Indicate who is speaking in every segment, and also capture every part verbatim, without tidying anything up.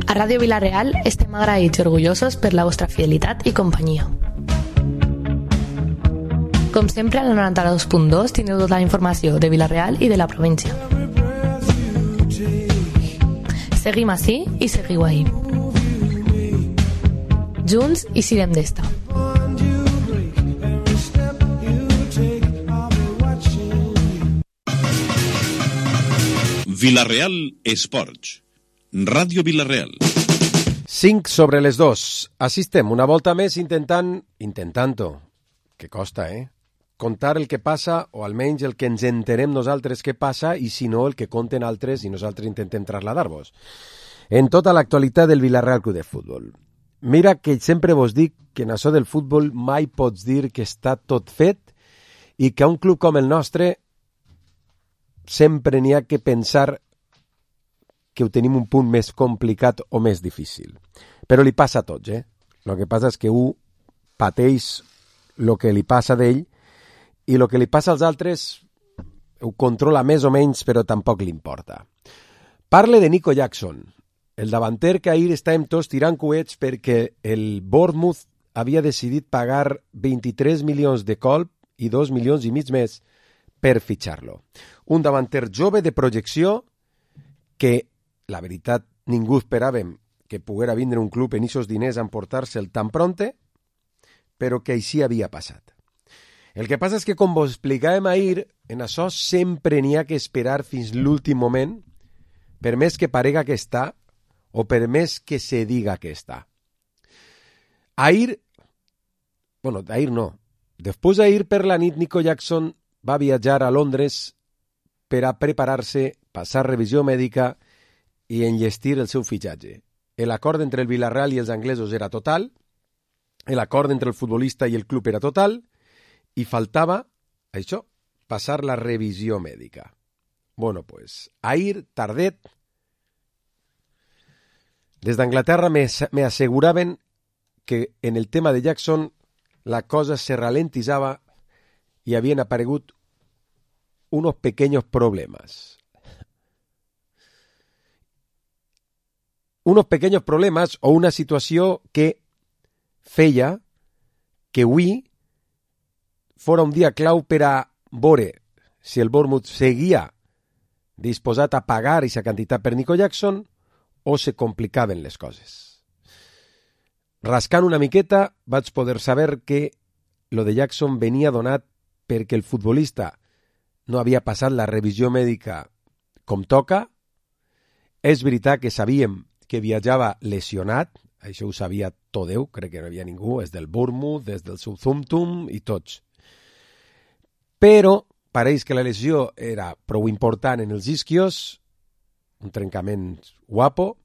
Speaker 1: A Ràdio Vila-real estem agraïts i orgullosos per la vostra fidelitat i companyia. Com sempre, al noranta-dos punt dos tindreu tota la informació de Vila-real i de la província. Seguim ací i seguiu ahí. Junts i sirem d'esta.
Speaker 2: Vila-real Esports. Ràdio Vila-real.
Speaker 3: cinc sobre les dos. Assistem una volta més intentant, intentant-ho, que costa, eh? Contar el que passa, o almenys el que ens entenem nosaltres que passa, i si no, el que conten altres i nosaltres intentem trasladar-vos. En tota l'actualitat del Vila-real Club de Futbol. Mira que sempre vos dic que en això del futbol mai pots dir que està tot fet i que a un club com el nostre sempre n'hi ha que pensar que ho tenim un punt més complicat o més difícil. Però li passa a tots, eh? El que passa és que un pateix el que li passa d'ell i el que li passa als altres ho controla més o menys, però tampoc li importa. Parle de Nico Jackson, el davanter que ahir estàvem tots tirant coets perquè el Bournemouth havia decidit pagar vint-i-tres milions de colp i dos milions i mig més per fitxar-lo. Un davanter jove de projecció que, la veritat, ningú esperàvem que poguera vindre un club en ixos diners a emportar-se'l tan pronte, però que així havia passat. El que passa és que, com vos explicàvem ahir, en això sempre n'hi ha que esperar fins l'últim moment, per més que parega que està, o per més que se diga que està. Ahir, bueno, ahir no, després d'ahir per la nit, Nico Jackson va viatjar a Londres per a preparar-se, passar revisió mèdica i enllestir el seu fitxatge. L'acord entre el Vila-real i els anglesos era total, l'acord entre el futbolista i el club era total, i faltava, això, passar la revisió mèdica. Bueno, pues, ahir, tardet, des d'Anglaterra me, me asseguraven que en el tema de Jackson la cosa se ralentizaba y habían aparegut unos pequeños problemas. Unos pequeños problemas o una situació que feia que avui fora un dia clau per a veure si el Bournemouth seguia disposat a pagar aquesta quantitat per Nico Jackson o se complicaven les coses. Rascant una miqueta vaig poder saber que lo de Jackson venia donat perquè el futbolista no havia passat la revisió mèdica com toca. És veritat que sabíem que viatjava lesionat, això ho sabia tot Déu, crec que no hi havia ningú, és del Bournemouth, des del Southampton i tots. Però pareix que la lesió era prou important en els isquios, un trencament guapo,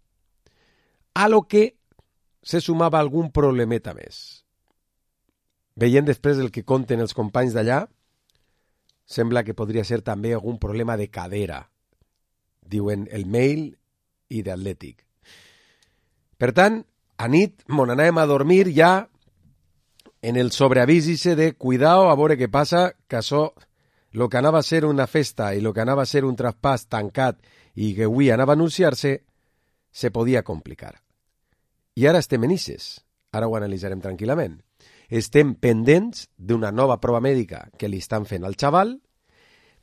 Speaker 3: a lo que se sumava algun problemeta més. Veient després el que conten els companys d'allà, sembla que podria ser també algun problema de cadera, diuen el Mail i d'Atlètic. Per tant, a nit mon anàvem a dormir ja en el sobreavís de cuidao a veure què passa, que això, el que anava a ser una festa i el que anava a ser un traspàs tancat i que avui anava a anunciar-se, se podia complicar. I ara estem en ixes, ara ho analitzarem tranquil·lament. Estem pendents d'una nova prova mèdica que li estan fent al xaval,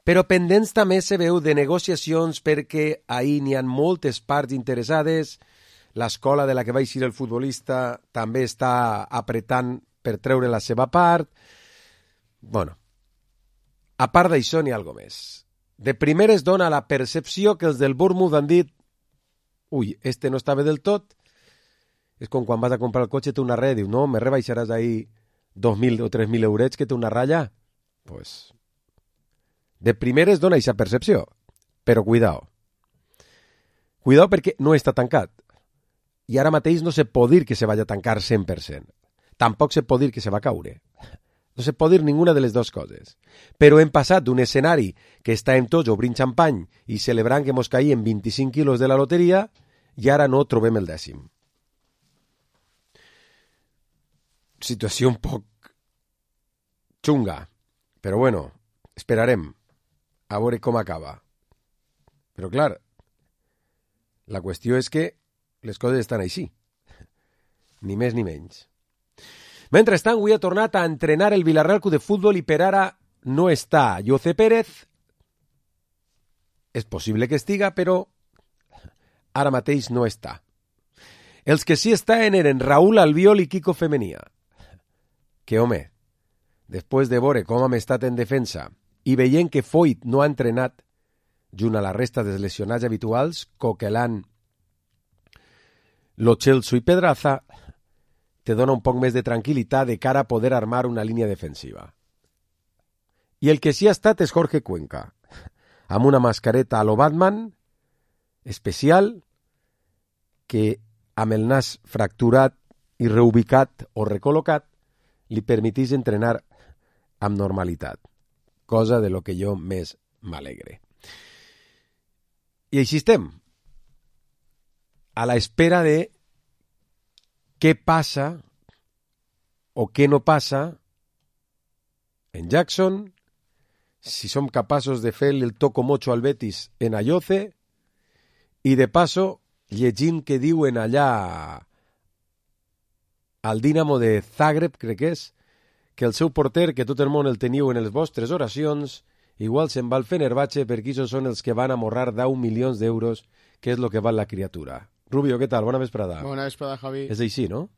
Speaker 3: però pendents també se veu de negociacions perquè ahir n'hi ha moltes parts interessades, l'escola de la que va eixir el futbolista també està apretant per treure la seva part. Bueno, a part d'això n'hi ha alguna més. De primer es dona la percepció que els del Bournemouth han dit ui, este no estava del tot. És com quan vas a comprar el cotxe, té una ratlla, diu, no, me rebaixaràs ahí dos mil o tres mil eurets que té una ratlla. Pues, de primer es dona aquesta percepció, però cuidao. Cuidao perquè no està tancat. I ara mateix no se pot dir que se vaya a tancar cent per cent. Tampoc se pot dir que se va caure. No se pot dir ninguna de les dues coses. Però hem passat d'un escenari que estàvem tots obrint xampany i celebrant que mos caïen vint-i-cinc quilos de la loteria i ara no trobem el dècim. Situació un poc xunga, però bueno, esperarem a veure com acaba. Però clar, la qüestió és que les coses estan així. Ni més ni menys. Mentrestant, avui ha tornat a entrenar el Villarreal Club de Futbol i per ara no està José Pérez. És possible que estiga, però ara mateix no està. Els que sí estaven eren Raúl Albiol i Kiko Femenia. Que, home, després de veure com hem estat en defensa i veient que Foyt no ha entrenat, junt a la resta dels lesionats habituals, Coquelin, Lo Celso i Pedraza, te dona un poc més de tranquil·litat de cara a poder armar una línia defensiva. I el que sí ha estat és Jorge Cuenca, amb una mascareta a lo Batman, especial, que amb el nas fracturat i reubicat o recol·locat li permetís entrenar amb normalitat, cosa de lo que jo més m'alegre. I així estem, a la espera de què passa o què no passa en Jackson, si som capaços de fer el toco mocho al Betis en Ayoce i de paso llegint que diuen allà al Dinamo de Zagreb, crec que és, que el seu porter, que tot el món el teniu en les vostres oracions, igual se'n va al Fenerbahce perquè ells són els que van amorrar deu milions d'euros, que és el que val la criatura. Rubio, què tal? Bona vesprada.
Speaker 4: Bona vesprada, Javi.
Speaker 3: És així, no?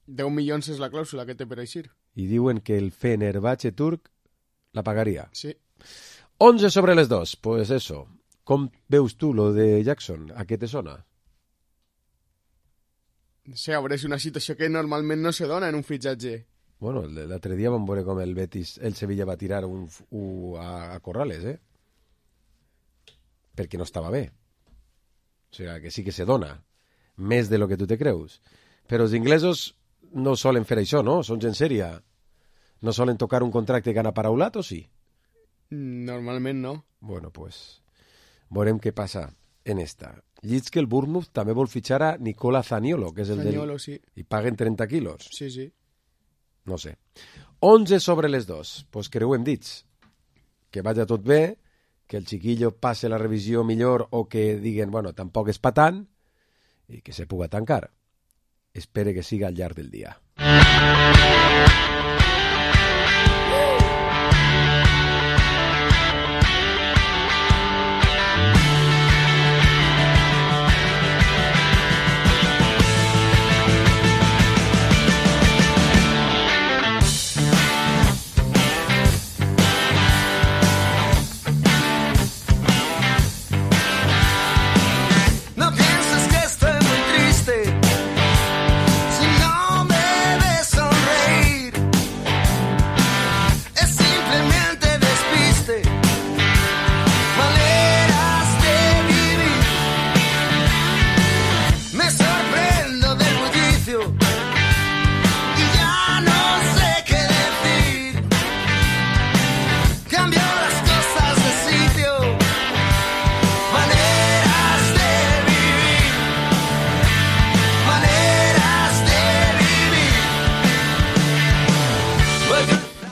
Speaker 4: deu milions és la clàusula que té per eixir.
Speaker 3: I diuen que el Fenerbahce turc la pagaria.
Speaker 4: Sí.
Speaker 3: onze sobre les dos. Pues eso. Com veus tu lo de Jackson? A què te sona?
Speaker 4: No sé, a veure, és una situació que normalment no se dona en un fitxatge.
Speaker 3: Bueno, l'altre dia vam veure com el Betis, el Sevilla va tirar un, un a, a Corrales, eh? Perquè no estava bé. O sigui, que sí que se dona. Més de lo que tu te creus. Però els inglesos no solen fer això, no? Són gent sèria. No solen tocar un contracte que han aparaulat, o sí?
Speaker 4: Normalment no.
Speaker 3: Bueno, pues veurem què passa en esta. Llits que el Bournemouth també vol fitxar a Nicola Zaniolo, que és el
Speaker 4: Zaniolo,
Speaker 3: del...
Speaker 4: sí.
Speaker 3: I paguen trenta quilos.
Speaker 4: Sí, sí.
Speaker 3: No sé. onze sobre les dos. Pues creuem dits. Que vagi tot bé, que el chiquillo passe la revisió millor o que diguen, bueno, tampoc és pa tant, i que se puga tancar. Espere que siga al llarg del dia.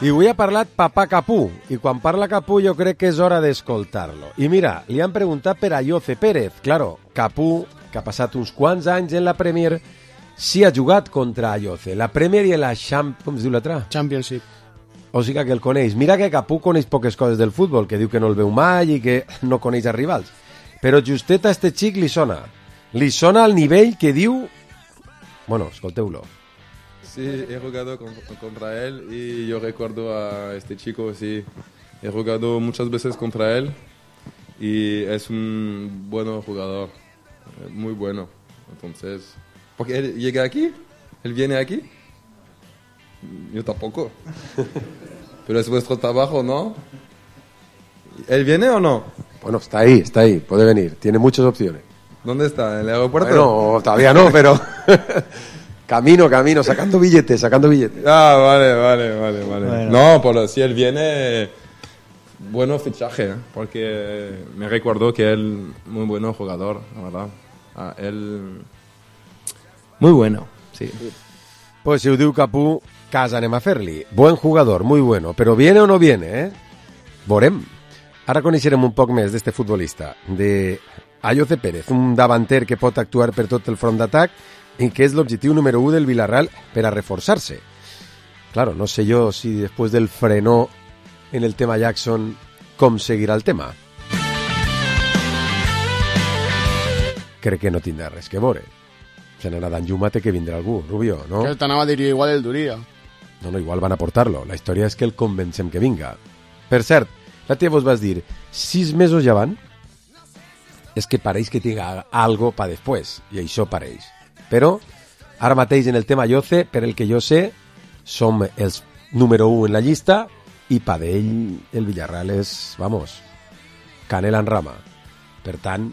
Speaker 3: I avui ha parlat papà Capú, i quan parla Capú jo crec que és hora d'escoltar-lo. I mira, li han preguntat per a José Pérez. Claro, Capú, que ha passat uns quants anys en la Premier, sí ha jugat contra José. La Premier i la Champ... com es diu l'altra?
Speaker 4: Championship.
Speaker 3: O sigui que el coneix. Mira que Capú coneix poques coses del futbol, que diu que no el veu mai i que no coneix els rivals. Però justet a este xic li sona. Li sona al nivell que diu... Bueno, escolteu-lo.
Speaker 5: Sí, he jugado con, contra él y yo recuerdo a este chico, sí, he jugado muchas veces contra él y es un buen jugador, muy bueno. Entonces, porque él llega aquí, él viene aquí, yo tampoco, pero es vuestro trabajo, ¿no? ¿Él viene o no?
Speaker 3: Bueno, está ahí, está ahí, puede venir, tiene muchas opciones.
Speaker 5: ¿Dónde está? ¿En el aeropuerto?
Speaker 3: Bueno, todavía no, pero... Camino, camino, sacando billetes, sacando billetes.
Speaker 5: Ah, vale, vale, vale, vale. Bueno. No, pero si él viene, bueno fichaje, ¿eh? Porque me recuerdo que él, muy bueno jugador, la verdad. Ah, él, muy bueno, sí.
Speaker 3: Pues si ho diu Capú, casa anem a fer-li. Buen jugador, muy bueno, però viene o no viene, eh? Veurem. Ara coneixerem un poc més d'este futbolista, de Ayoce Pérez, un davanter que pot actuar per tot el front d'atac i que és l'objectiu número u del Villarreal per a reforçar-se. Claro, no sé yo si después del frenó en el tema Jackson, com seguirà el tema. Crec que no tindrà res que veure. Se n'anà d'Anjuma té que vindrà algú, Rubio, no?
Speaker 4: Que t'anava a dir igual el duria.
Speaker 3: No, no, igual van a portar-lo. La història és que el convencem que vinga. Per cert, la tia vos vas dir, sis mesos ja van? És que pareix que tinga algo pa després, i això pareix. Però, ara mateix en el tema Ayoce, per el que jo sé, som els número u en la llista i pa d'ell el Villarreal és, vamos, canela en rama. Per tant,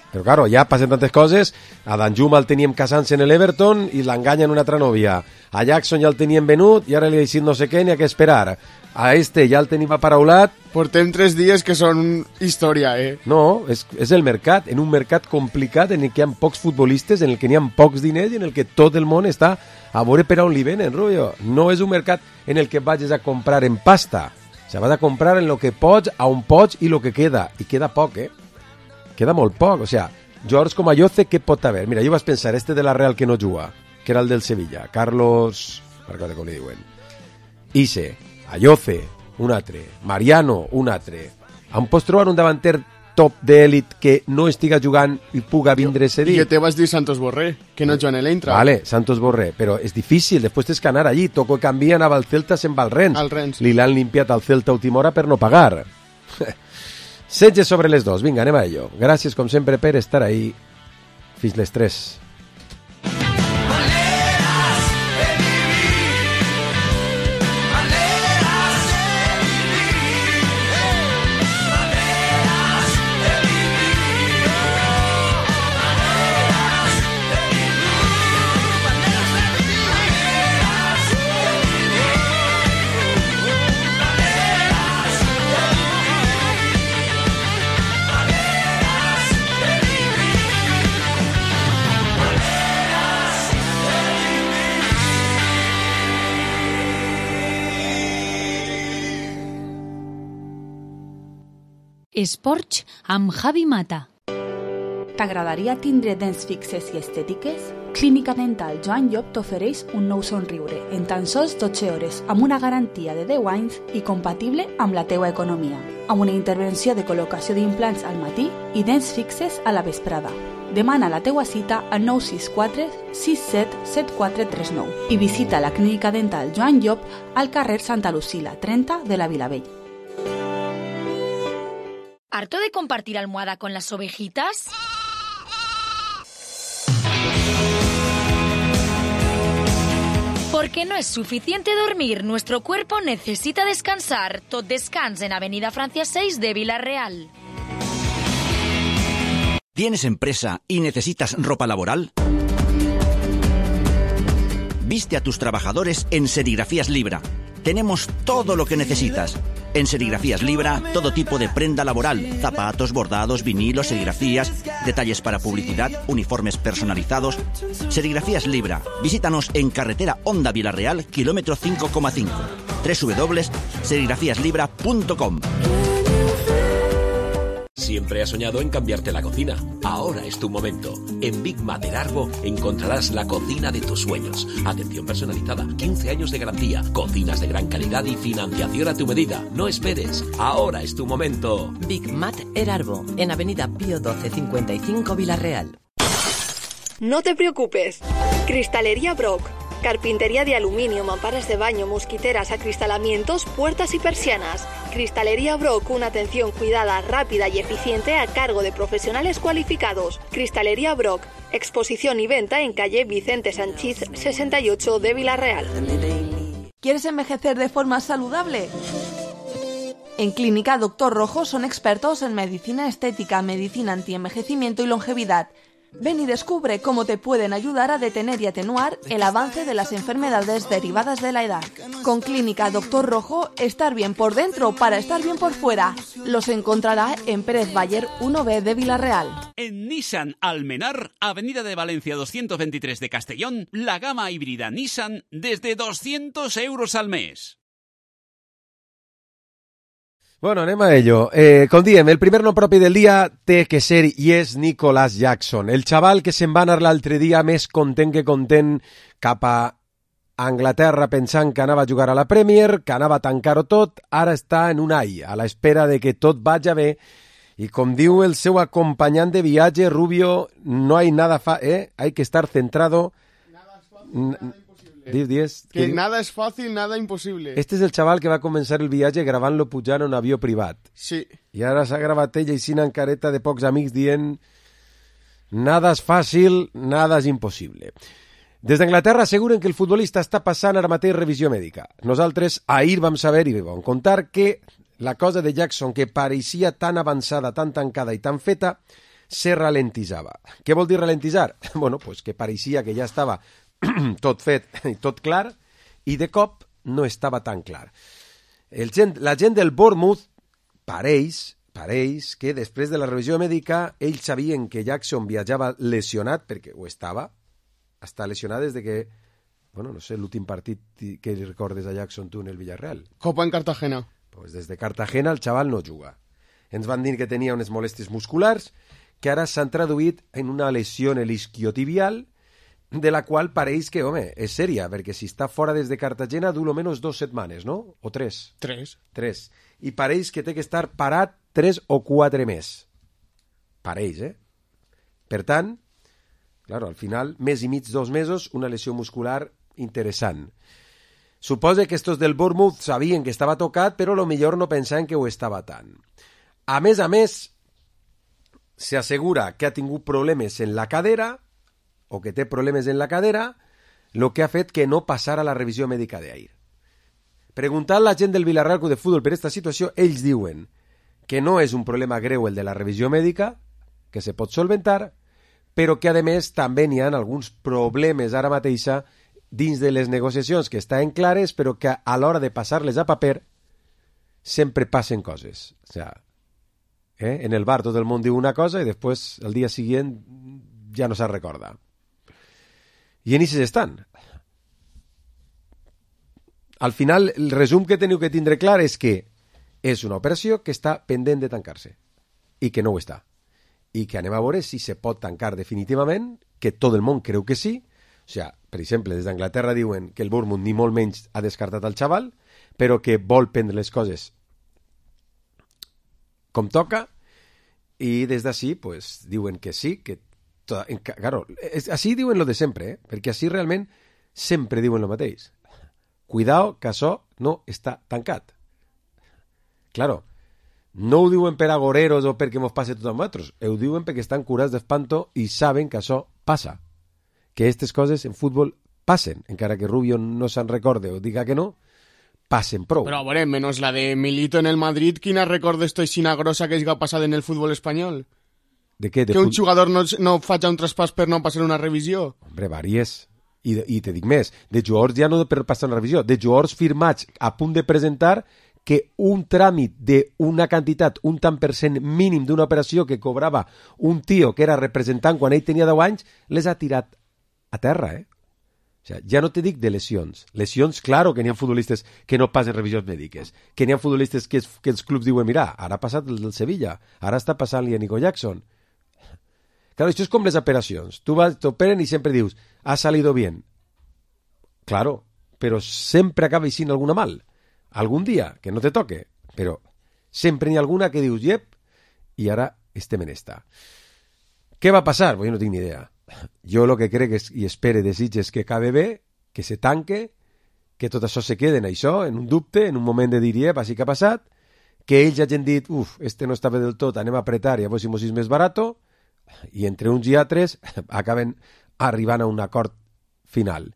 Speaker 3: però claro, ja passen tantes coses, a Danjuma el teníem casant-se en l'Everton i l'enganya en una altra nòvia, a Jackson ja el teníem venut i ara li ha dit no sé què ni a què esperar, a este ja el tenim aparaulat.
Speaker 4: Portem tres dies que són història, eh?
Speaker 3: No, és, és el mercat, en un mercat complicat en el que hi ha pocs futbolistes, en el que n'hi ha pocs diners i en el que tot el món està a veure per on li venen, Rubio. No és un mercat en el que vagis a comprar en pasta, o sigui, vas a comprar en lo que pots, a on pots i lo que queda, i queda poc, eh? Queda molt poc, o sigui, jugadors com Ayoce, què pot haver? Mira, jo vaig pensar, este de la Real que no juga, que era el del Sevilla, Carlos, no recordo com li diuen, Ise, Ayoce, un altre, Mariano, un altre. Em pots trobar un davanter top d'èlit que no estiga jugant i puga vindre ese dia?
Speaker 4: I que te vas dir Santos Borré, que no juga en l'Eintracht.
Speaker 3: Vale, Santos Borré, però és difícil, després tens que anar allí, Toco canvia, anava al Celta, se'n va al Rennes.
Speaker 4: Al Rennes.
Speaker 3: Li l'han limpiat al Celta a última hora per no pagar. setge sobre les dos, vinga, anem a ello. Gràcies, com sempre, per estar ahí. Fins les tres.
Speaker 6: Esports amb Javi Mata.
Speaker 7: T'agradaria tindre dents fixes i estètiques? Clínica Dental Joan Llop t'ofereix un nou somriure en tan sols dotze hores amb una garantia de deu anys i compatible amb la teua economia, amb una intervenció de col·locació d'implants al matí i dents fixes a la vesprada. Demana la teua cita al nou sis quatre sis set set quatre tres nou i visita la Clínica Dental Joan Llop al carrer Santa Lucila, trenta de la Vilavell.
Speaker 6: ¿Harto de compartir almohada con las ovejitas? Porque no es suficiente dormir, nuestro cuerpo necesita descansar. Tot Descans en Avenida Francia seis de Villarreal.
Speaker 8: ¿Tienes empresa y necesitas ropa laboral? Viste a tus trabajadores en Serigrafías Libra. Tenemos todo lo que necesitas. En Serigrafías Libra, todo tipo de prenda laboral, zapatos, bordados, vinilos, serigrafías, detalles para publicidad, uniformes personalizados. Serigrafías Libra. Visítanos en carretera Honda Villarreal, kilómetro cinco coma cinco. doble u doble u doble u punto serigrafías libra punto com.
Speaker 9: Siempre has soñado en cambiarte la cocina. Ahora es tu momento. En Big Mat Erarbo encontrarás la cocina de tus sueños. Atención personalizada, quince años de garantía, cocinas de gran calidad y financiación a tu medida. No esperes. Ahora es tu momento.
Speaker 10: Big Mat Erarbo, en Avenida Pío doce cincuenta y cinco Villarreal.
Speaker 11: No te preocupes. Cristalería Brock. Carpintería de aluminio, mamparas de baño, mosquiteras, acristalamientos, puertas y persianas. Cristalería Brock, una atención cuidada, rápida y eficiente a cargo de profesionales cualificados. Cristalería Brock, exposición y venta en calle Vicente Sanchís sesenta y ocho de Villarreal.
Speaker 7: ¿Quieres envejecer de forma saludable? En Clínica Doctor Rojo son expertos en medicina estética, medicina antienvejecimiento y longevidad. Ven y descubre cómo te pueden ayudar a detener y atenuar el avance de las enfermedades derivadas de la edad. Con Clínica Doctor Rojo, estar bien por dentro para estar bien por fuera. Los encontrará en Pérez Bayer uno B de Villarreal.
Speaker 12: En Nissan Almenar, Avenida de Valencia doscientos veintitrés de Castellón, la gama híbrida Nissan desde doscientos euros al mes.
Speaker 3: Bueno, anem a ello. Eh, com diem, el primer nom propi del dia té que ser i és Nicholas Jackson, el xaval que se'n va anar l'altre dia més content que content cap a Anglaterra pensant que anava a jugar a la Premier, que anava a tancar-ho tot, ara està en un ai, a l'espera de que tot vagi bé. I com diu el seu acompanyant de viatge, Rubio, no hay nada fa... Eh? Hay que estar centrado...
Speaker 4: Nada es fácil, nada imposible.
Speaker 3: Diez, diez,
Speaker 4: que
Speaker 3: que...
Speaker 4: nada es fácil, nada imposible.
Speaker 3: Este és el xaval que va començar el viatge gravant-lo pujant en un avió privat.
Speaker 4: Sí.
Speaker 3: I ara s'ha gravat ell així en careta de pocs amics dient nada és fàcil, nada és impossible. Des d'Anglaterra asseguren que el futbolista està passant ara mateix revisió mèdica. Nosaltres ahir vam saber i vam contar que la cosa de Jackson, que pareixia tan avançada, tan tancada i tan feta, se ralentitzava. Què vol dir ralentitzar? Bueno, pues que pareixia que ja estava tot fet i tot clar, i de cop no estava tan clar. El gent, la gent del Bournemouth pareix, pareix que després de la revisió mèdica ells sabien que Jackson viatjava lesionat, perquè ho estava, està lesionat des de que, bueno, no sé, l'últim partit que li recordes a Jackson tu en el Villarreal.
Speaker 4: Copa en Cartagena.
Speaker 3: Pues des de Cartagena el xaval no juga. Ens van dir que tenia unes molèsties musculars que ara s'han traduït en una lesió en l'isquiotibial, de la qual pareix que, home, és sèria, perquè si està fora des de Cartagena du almenys dos setmanes, no? O tres?
Speaker 4: Tres.
Speaker 3: Tres. I pareix que té que estar parat tres o quatre més. Pareix, eh? Per tant, claro, al final, mes i mig, dos mesos, una lesió muscular interessant. Suposa que estos del Bournemouth sabien que estava tocat, però a lo millor no pensaven que ho estava tant. A més a més, s'assegura que ha tingut problemes en la cadera, o que té problemes en la cadera, el que ha fet que no passara la revisió mèdica d'ahir. Preguntant a la gent del Villarreal Club de Futbol per aquesta situació, ells diuen que no és un problema greu el de la revisió mèdica, que se pot solventar, però que, a més, també n'hi ha alguns problemes ara mateixa dins de les negociacions que estan clares, però que a l'hora de passar-les a paper sempre passen coses. O sea, eh? En el bar tot el món diu una cosa i després, el dia següent, ja no se'n recorda. I en ixes estan. Al final, el resum que teniu que tindre clar és que és una operació que està pendent de tancar-se i que no ho està. I que anem a veure si se pot tancar definitivament, que tot el món creu que sí. O sigui, per exemple, des d'Anglaterra diuen que el Bournemouth ni molt menys ha descartat el xaval, però que vol prendre les coses com toca, i des d'ací pues, diuen que sí, que toda, claro, així diuen lo de sempre, eh? Perquè així realment sempre diuen lo mateix. Cuidao, que això no està tancat. Claro, no ho diuen per agoreros o perquè mos passe tot a nosaltres, ho diuen perquè estan curats d'espanto i saben que això passa, que aquestes coses en futbol passen, encara que Rubio no se'n recorde o diga que no, passen prou.
Speaker 4: Però, a veure, menys la de Milito en el Madrid, quina recordes tu aixina grossa que és passada en el futbol espanyol?
Speaker 3: De què? De
Speaker 4: que un
Speaker 3: fut...
Speaker 4: jugador no, no faci un traspàs per no passar una revisió?
Speaker 3: Hombre, varies. I, I te dic més, de jugadors ja no per passar una revisió, de jugadors firmats a punt de presentar que un tràmit d'una quantitat, un tant per cent mínim d'una operació que cobrava un tio que era representant quan ell tenia deu anys, les ha tirat a terra, eh? O sea, ja no te dic de lesions. Lesions, claro, que n'hi ha futbolistes que no passen revisions mèdiques, que n'hi ha futbolistes que, es, que els clubs diuen, mira, ara ha passat el del Sevilla, ara està passant-li a Nico Jackson. Claro, això és com les operacions. Tu vas, t'operen i sempre dius, ha salido bien. Claro, però sempre acaba sent alguna mal. Algun dia, que no te toque, però sempre n'hi ha alguna que dius, yep, i ara estem en esta. Què va passar? Pues jo no tinc ni idea. Jo el que crec és, i espere, desitge és que acabe bé, que se tanque, que tot això se quede en això, en un dubte, en un moment de dir, yep, així que ha passat, que ells hagin dit, uf, este no està bé del tot, anem a apretar i a veure si mos és més barato, i entre uns i altres acaben arribant a un acord final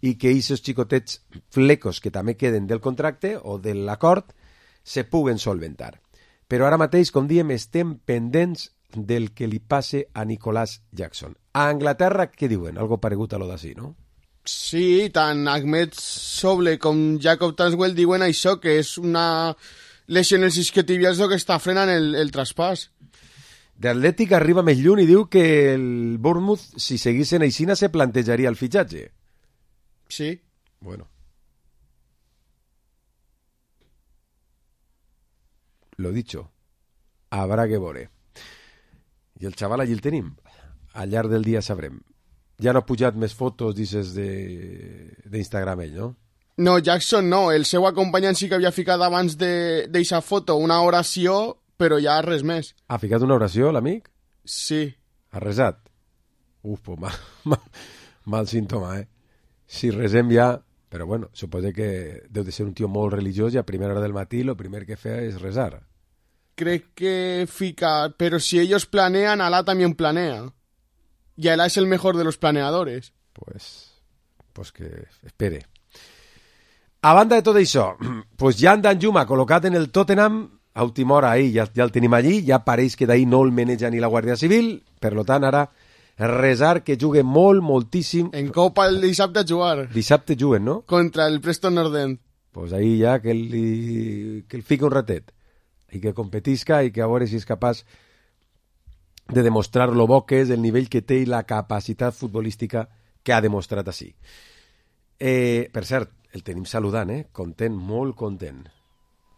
Speaker 3: i que aquests xicotets flecos que també queden del contracte o de l'acord se puguen solventar. Però ara mateix, com diem, estem pendents del que li passe a Nicholas Jackson. A Anglaterra, què diuen? Algo paregut a lo d'ací, no?
Speaker 4: Sí, tant Ahmed Soble com Jacob Transwell diuen això, que és una lesió en els isquiotibials que està frenant el, el traspàs.
Speaker 3: De Atlètic arriba més lluny i diu que el Bournemouth, si seguissin aixina, se plantejaria el fitxatge.
Speaker 4: Sí.
Speaker 3: Bueno. lo dicho, habrá que veure. I el xaval allí el tenim. Al llarg del dia sabrem. Ja no ha pujat més fotos, dices, d'Instagram ell, no?
Speaker 4: No, Jackson no. El seu acompanyant sí que havia ficat abans d'eixa foto una oració, però ja res més.
Speaker 3: Ha ficat una oració, l'amic?
Speaker 4: Sí.
Speaker 3: Ha resat? Uf, pues mal, mal, mal símptoma, eh? Si resem ja... Però bueno, suposo que deu de ser un tio molt religiós i a primera hora del matí lo primer que feia és resar.
Speaker 4: Crec que fica... Pero si ellos planean, Alá también planea. Y Alá es el mejor de los planeadores.
Speaker 3: Pues, pues que espere. A banda de tot això, pues Jan Danjuma col·locat en el Tottenham, a última hora ahí, ja, ja el tenim allí, ja pareix que d'ahí no el maneja ni la Guàrdia Civil, per lo tant ara resar que jugue molt, moltíssim.
Speaker 4: En Copa el dissabte a jugar.
Speaker 3: Dissabte juguen, no?
Speaker 4: Contra el Preston North End.
Speaker 3: Pues ahí ja que el, que el fica un ratet i que competisca i que a veure si és capaç de demostrar lo bo que és, el nivell que té i la capacitat futbolística que ha demostrat així. Eh, per cert, el tenim saludant, eh? Content, molt content.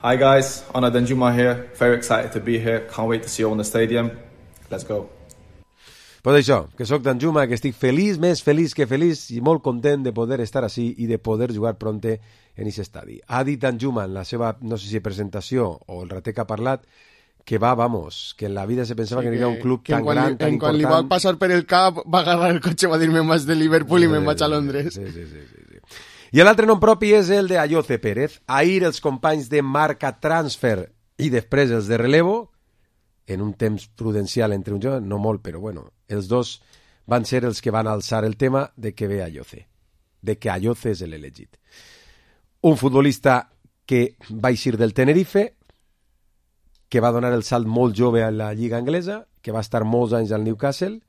Speaker 13: Hi guys, Ona Danjuma here. Very excited to be here. Can't wait to see you on the stadium. Let's go.
Speaker 3: Pues això, que sóc Danjuma, que estic feliç, més feliç que feliç i molt content de poder estar així i de poder jugar pronte en aquest estadi. Ha dit Danjuma en la seva, no sé si presentació o el rater que ha parlat, que va, vamos, que en la vida se pensava sí, que, que era un club tan gran, li, tan
Speaker 4: en
Speaker 3: important.
Speaker 4: Quan li va passar per el cap, va agarrar el cotxe, va dir-me més de Liverpool i sí, me'n vaig a Londres.
Speaker 3: Sí, sí, sí, sí, sí. I l'altre nom propi és el de Ayoce Pérez. Ahir els companys de Marca Transfer i després els de Relevo, en un temps prudencial entre un joc, no molt, però bueno, els dos van ser els que van alçar el tema de que ve Ayoce, de que Ayoce és l'elegit. Un futbolista que va eixir del Tenerife, que va donar el salt molt jove a la Lliga Anglesa, que va estar molts anys al Newcastle,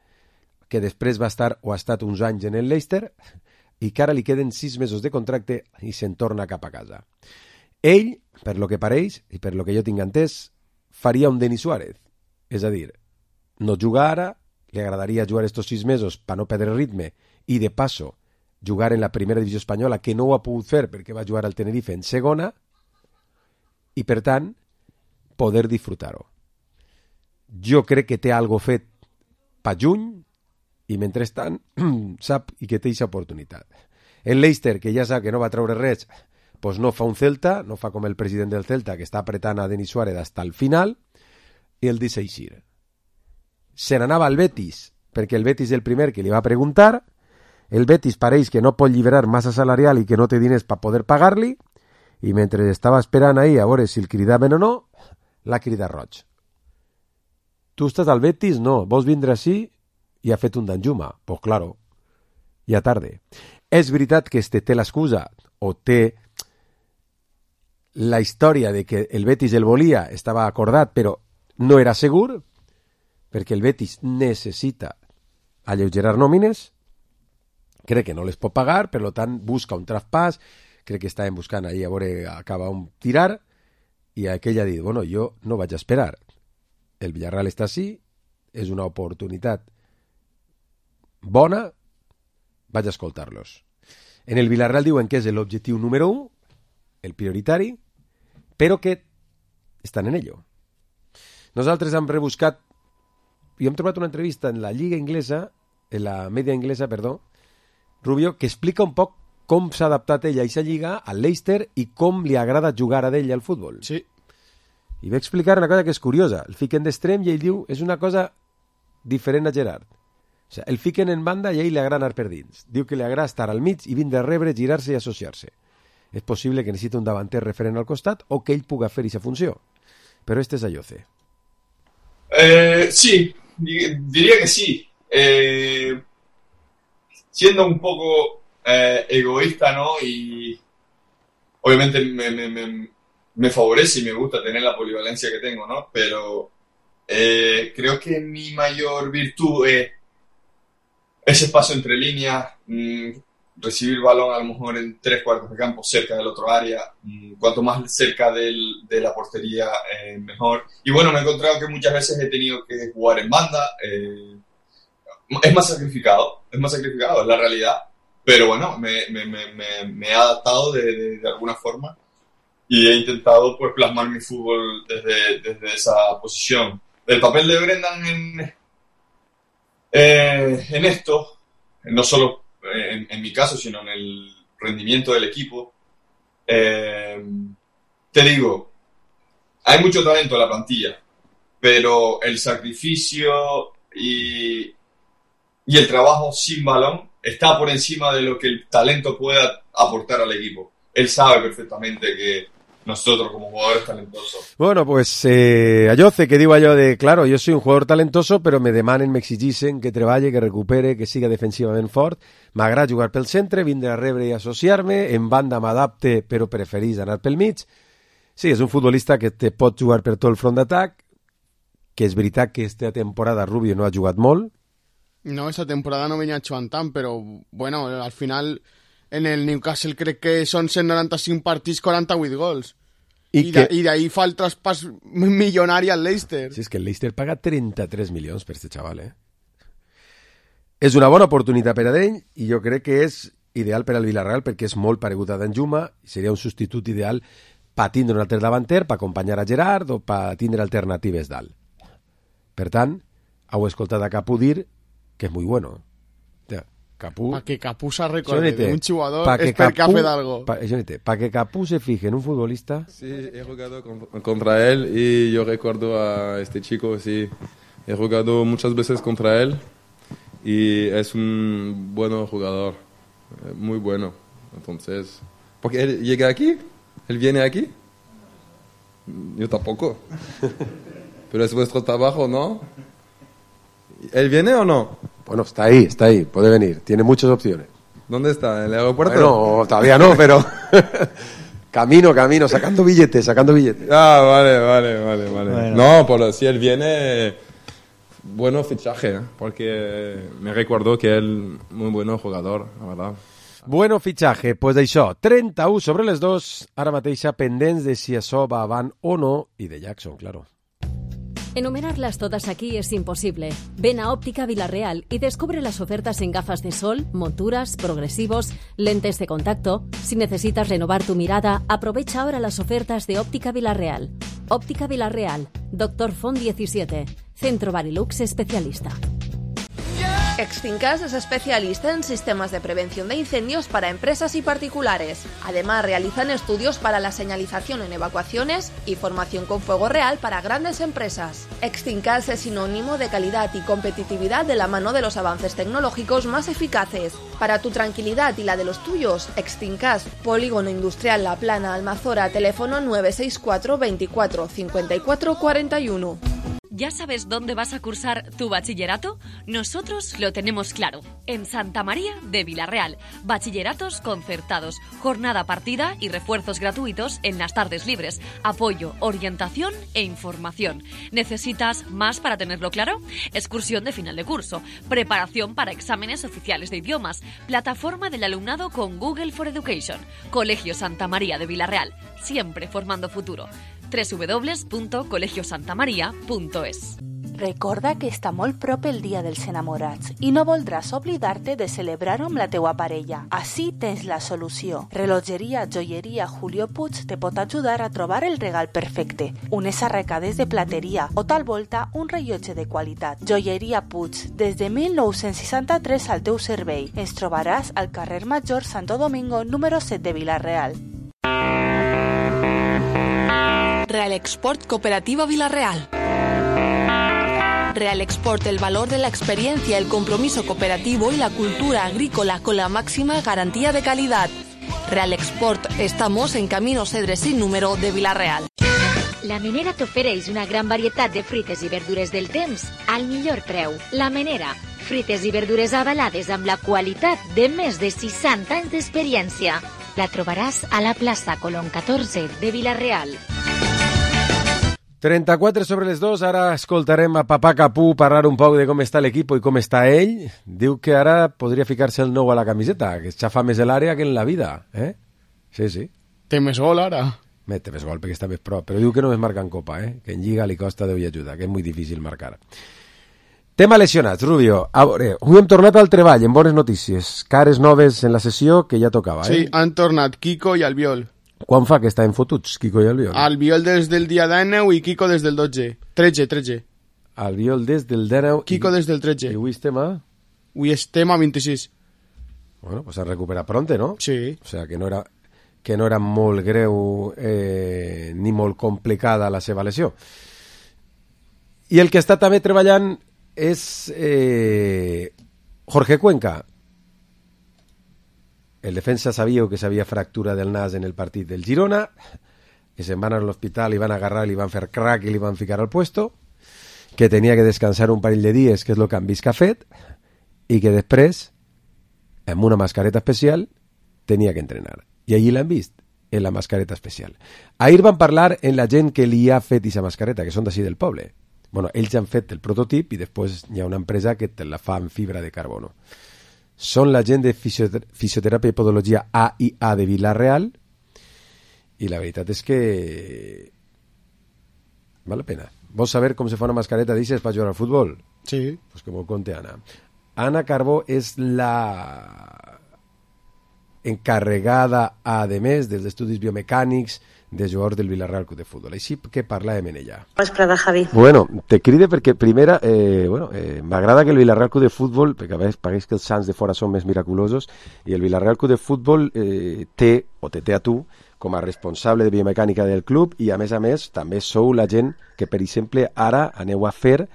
Speaker 3: que després va estar o ha estat uns anys en el Leicester, i que ara li queden sis mesos de contracte i se'n torna cap a casa. Ell, per lo que pareix, i per lo que jo tinc entès, faria un Denis Suárez. És a dir, no juga ara, li agradaria jugar estos sis mesos per no perdre ritme i, de passo, jugar en la primera divisió espanyola, que no ho ha pogut fer perquè va jugar al Tenerife en segona, i, per tant, poder disfrutar-ho. Jo crec que té algo fet pa juny i, mentrestant, sap i que té aquesta oportunitat. El Leicester, que ja sap que no va treure res, pues no fa un Celta, no fa com el president del Celta, que està apretant a Denis Suárez hasta el final, i el deixa eixir. Se n'anava al Betis, perquè el Betis és el primer que li va preguntar, el Betis pareix que no pot lliberar massa salarial i que no té diners per poder pagar-li, i mentre estava esperant ahir a veure si el cridaven o no, l'ha cridat roig. Tu estàs al Betis? No. Vols vindre així? I ha fet un Danjuma. Pues claro, ja tarde. És veritat que este té l'excusa, o té la història de que el Betis el volia, estava acordat, però no era segur, perquè el Betis necessita alleugerar nòmines, crec que no les pot pagar, per tant busca un traspàs, crec que estàvem buscant ahir a veure acaba un tirar, i aquell ha dit, bueno, jo no vaig a esperar, el Villarreal està així, és una oportunitat bona, vaig a escoltar-los. En el Villarreal diuen que és l'objectiu número un, el prioritari, però que estan en ello. Nosaltres hem rebuscat i hem trobat una entrevista en la Lliga Inglesa, en la Media Inglesa, perdó, Rubio, que explica un poc com s'ha adaptat ella a aquesta lliga, al Leicester, i com li agrada jugar a d'ella al futbol.
Speaker 4: Sí.
Speaker 3: I va explicar una cosa que és curiosa. El fiquen d'extrem i ell diu és una cosa diferent a Gerard. O sigui, el fiquen en banda i a ell li agrada anar per dins. Diu que li agrada estar al mig i vindre a rebre, girar-se i associar-se. És possible que necessiti un davanter referent al costat o que ell puga fer aquesta funció. Però este és Ayoce.
Speaker 14: Eh, sí, diría que sí. Eh, siendo un poco eh, egoísta, ¿no? Y obviamente me, me, me, me favorece y me gusta tener la polivalencia que tengo, ¿no? Pero eh, creo que mi mayor virtud es ese espacio entre líneas, mmm, recibir balón a lo mejor en tres cuartos de campo cerca del otro área, mmm, cuanto más cerca del, de la portería eh, mejor. Y bueno, me he encontrado que muchas veces he tenido que jugar en banda, eh, es más sacrificado, es más sacrificado, es la realidad, pero bueno, me, me, me, me, me he adaptado de, de, de alguna forma y he intentado pues plasmar mi fútbol desde, desde esa posición. El papel de Brendan en, eh, en esto, no solo en, en mi caso, sino en el rendimiento del equipo, eh, te digo, hay mucho talento en la plantilla, pero el sacrificio y, y el trabajo sin balón está por encima de lo que el talento pueda aportar al equipo. Él sabe perfectamente que nosotros como jugadores talentosos...
Speaker 3: Bueno, pues eh, allò que diu allò de, claro, jo soy un jugador talentoso, però me demanen, m'exigixen que treballe, que recupere, que siga defensivament fort. M'agrada jugar pel centre, vindre a rebre i associar-me, en banda m'adapte, però preferís anar pel mig. Sí, és un futbolista que te pot jugar per tot el front d'atac, que és veritat que esta temporada Rubio no ha jugat molt.
Speaker 4: No, esta temporada no venia jugant tant, però, bueno, al final... En el Newcastle crec que són cent noranta-cinc partits, quaranta-vuit gols. I, I, que... de, i d'ahí fa el traspàs milionari al Leicester.
Speaker 3: Sí, és que el Leicester paga trenta-tres milions per este xaval, eh? És una bona oportunitat per a ell i jo crec que és ideal per al Villarreal perquè és molt paregut a Danjuma i seria un substitut ideal per tindre un altre davanter, per acompanyar a Gerard o per tindre alternatives dalt. Per tant, heu escoltat a Capú dir que és molt bueno. Capú...
Speaker 4: Para que Capú se recuerde de un jugador pa es porque ha fet algo.
Speaker 3: Para pa que Capú se fije en un futbolista.
Speaker 5: Sí, he jugado con, contra él y yo recuerdo a este chico, sí. He jugado muchas veces contra él y es un buen jugador, muy bueno. Entonces, porque él llega aquí, él viene aquí. Yo tampoco. Pero es vuestro trabajo, ¿no? ¿Él viene o no?
Speaker 3: Bueno, está ahí, está ahí, puede venir, tiene muchas opciones.
Speaker 5: ¿Dónde está? ¿En el aeropuerto?
Speaker 3: Bueno, todavía no, pero camino, camino, sacando billetes, sacando billetes.
Speaker 5: Ah, vale, vale, vale, vale. Bueno. No, por si él viene, bueno fichaje, ¿eh? Porque me recuerdo que él muy bueno jugador, la verdad.
Speaker 3: Bueno fichaje, pues d'això, trenta-u sobre les dos, ara mateixa pendents de si això va avant o no, y de Jackson, claro.
Speaker 15: Enumerarlas todas aquí es imposible. Ven a Óptica Villarreal y descubre las ofertas en gafas de sol, monturas, progresivos, lentes de contacto. Si necesitas renovar tu mirada, aprovecha ahora las ofertas de Óptica Villarreal. Óptica Villarreal, Doctor Font diecisiete, Centro Barilux especialista.
Speaker 11: Extincas es especialista en sistemas de prevención de incendios para empresas y particulares. Además, realizan estudios para la señalización en evacuaciones y formación con fuego real para grandes empresas. Extincas es sinónimo de calidad y competitividad de la mano de los avances tecnológicos más eficaces. Para tu tranquilidad y la de los tuyos, Extincas, Polígono Industrial La Plana, Almazora, teléfono nueve seis cuatro veinticuatro cincuenta y cuatro cuarenta y uno.
Speaker 16: ¿Ya sabes dónde vas a cursar tu bachillerato? Nosotros lo tenemos claro. En Santa María de Villarreal. Bachilleratos concertados, jornada partida y refuerzos gratuitos en las tardes libres. Apoyo, orientación e información. ¿Necesitas más para tenerlo claro? Excursión de final de curso. Preparación para exámenes oficiales de idiomas. Plataforma del alumnado con Google for Education. Colegio Santa María de Villarreal. Siempre formando futuro. doble u doble u doble u punto colegio santa maria punto es.
Speaker 7: Recorda que està molt prop el Dia dels Enamorats i no voldràs oblidar-te de celebrar-ho amb la teua parella. Així tens la solució. Relogeria Joieria Julio Puig te pot ajudar a trobar el regal perfecte. Unes arracades de plateria o tal volta un rellotge de qualitat. Joieria Puig, des de mil nou-cents seixanta-tres al teu servei. Ens trobaràs al carrer Major Santo Domingo número set de Vila-real.
Speaker 11: Real Export Cooperativa Villarreal. Real Export, el valor de la experiencia, el compromiso cooperativo y la cultura agrícola con la máxima garantía de calidad. Real Export, estamos en Camino Cedre sin número de Villarreal.
Speaker 6: La Menera t'ofereix una gran varietat de fruites i verdures del temps al millor preu. La Menera, fruites i verdures avalades amb la qualitat de més de seixanta anys d'experiència. La trobaràs a la plaça Colón catorze de Villarreal.
Speaker 3: trenta-quatre sobre les dos, ara escoltarem a Papà Capú parlar un poc de com està l'equip i com està ell. Diu que ara podria ficar-se el nou a la camiseta, que es xafa més l'àrea que en la vida, eh? Sí, sí.
Speaker 4: Té més gol ara?
Speaker 3: Bé, té més gol perquè està més prop, però diu que no es marca en Copa, eh? Que en Lliga li costa Déu i ajuda, que és molt difícil marcar. Tema lesionats, Rubio. A veure, avui hem tornat al treball, en bones notícies. Cares noves en la sessió que ja tocava, eh?
Speaker 4: Sí, han tornat Kiko i Albiol.
Speaker 3: Quan fa que estaven fotuts, Quico i Albiol?
Speaker 4: Albiol des del dia dinou i Quico des del dotze. tretze, tretze.
Speaker 3: Albiol des del dinou...
Speaker 4: Quico des del tretze.
Speaker 3: I avui estem a...
Speaker 4: Avui estem a vint-i-sis.
Speaker 3: Bueno, pues s'ha recuperat pronte, no?
Speaker 4: Sí.
Speaker 3: O sea, que no era, que no era molt greu eh, ni molt complicada la seva lesió. I el que està també treballant és eh, Jorge Cuenca. El defensa sabia que s'havia fractura del nas en el partit del Girona, que se'n van a l'hospital i van agarrar, li van fer crack i li van ficar al puesto, que tenia que descansar un parell de dies, que és el que han vist que ha fet, i que després, amb una mascareta especial, tenia que entrenar. I allí l'han vist, en la mascareta especial. Ahir van parlar en la gent que li ha fet aquesta mascareta, que són d'ací del poble. Bueno, ells han fet el prototip i després hi ha una empresa que te la fa en fibra de carbono. Són la gent de fisioter fisioteràpia i podologia A i A de Vila-real i la veritat és que val la pena. Vols saber com se fa una mascareta d'aixes per jugar al futbol?
Speaker 4: Sí.
Speaker 3: Pues que m'ho conte Anna. Anna Carbó és la encarregada, a més, dels estudis biomecànics de jugadors del Villarreal Club de Fútbol. Així que parlàvem en ella.
Speaker 17: Vesprada, Javi.
Speaker 3: Bueno, te cride perquè, primera, eh, bueno, eh, m'agrada que el Villarreal Club de Fútbol, perquè a vegades pagueix que els Sants de fora són més miraculosos, i el Villarreal Club de Fútbol eh, té, o te té a tu, com a responsable de biomecànica del club, i a més a més també sou la gent que, per exemple, ara aneu a fer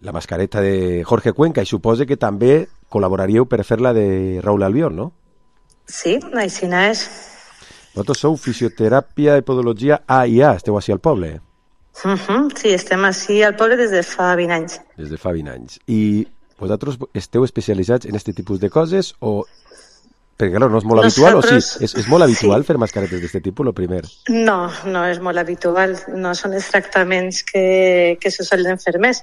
Speaker 3: la mascareta de Jorge Cuenca, i suposo que també col·laboraríeu per fer la de Raúl Albiol, no?
Speaker 17: Sí, així és.
Speaker 3: Vosaltres sou fisioteràpia i podologia A i A, esteu així al poble?
Speaker 17: Uh -huh, sí, estem així al poble des de fa vint anys.
Speaker 3: Des de fa vint anys. I vosaltres esteu especialitzats en aquest tipus de coses o... Perquè, clar, no és molt habitual, Nosaltres... o sí? És, és molt habitual sí. fer mascaretes d'aquest tipus, el primer?
Speaker 17: No, no és molt habitual. No són els tractaments que, que se solen fer més.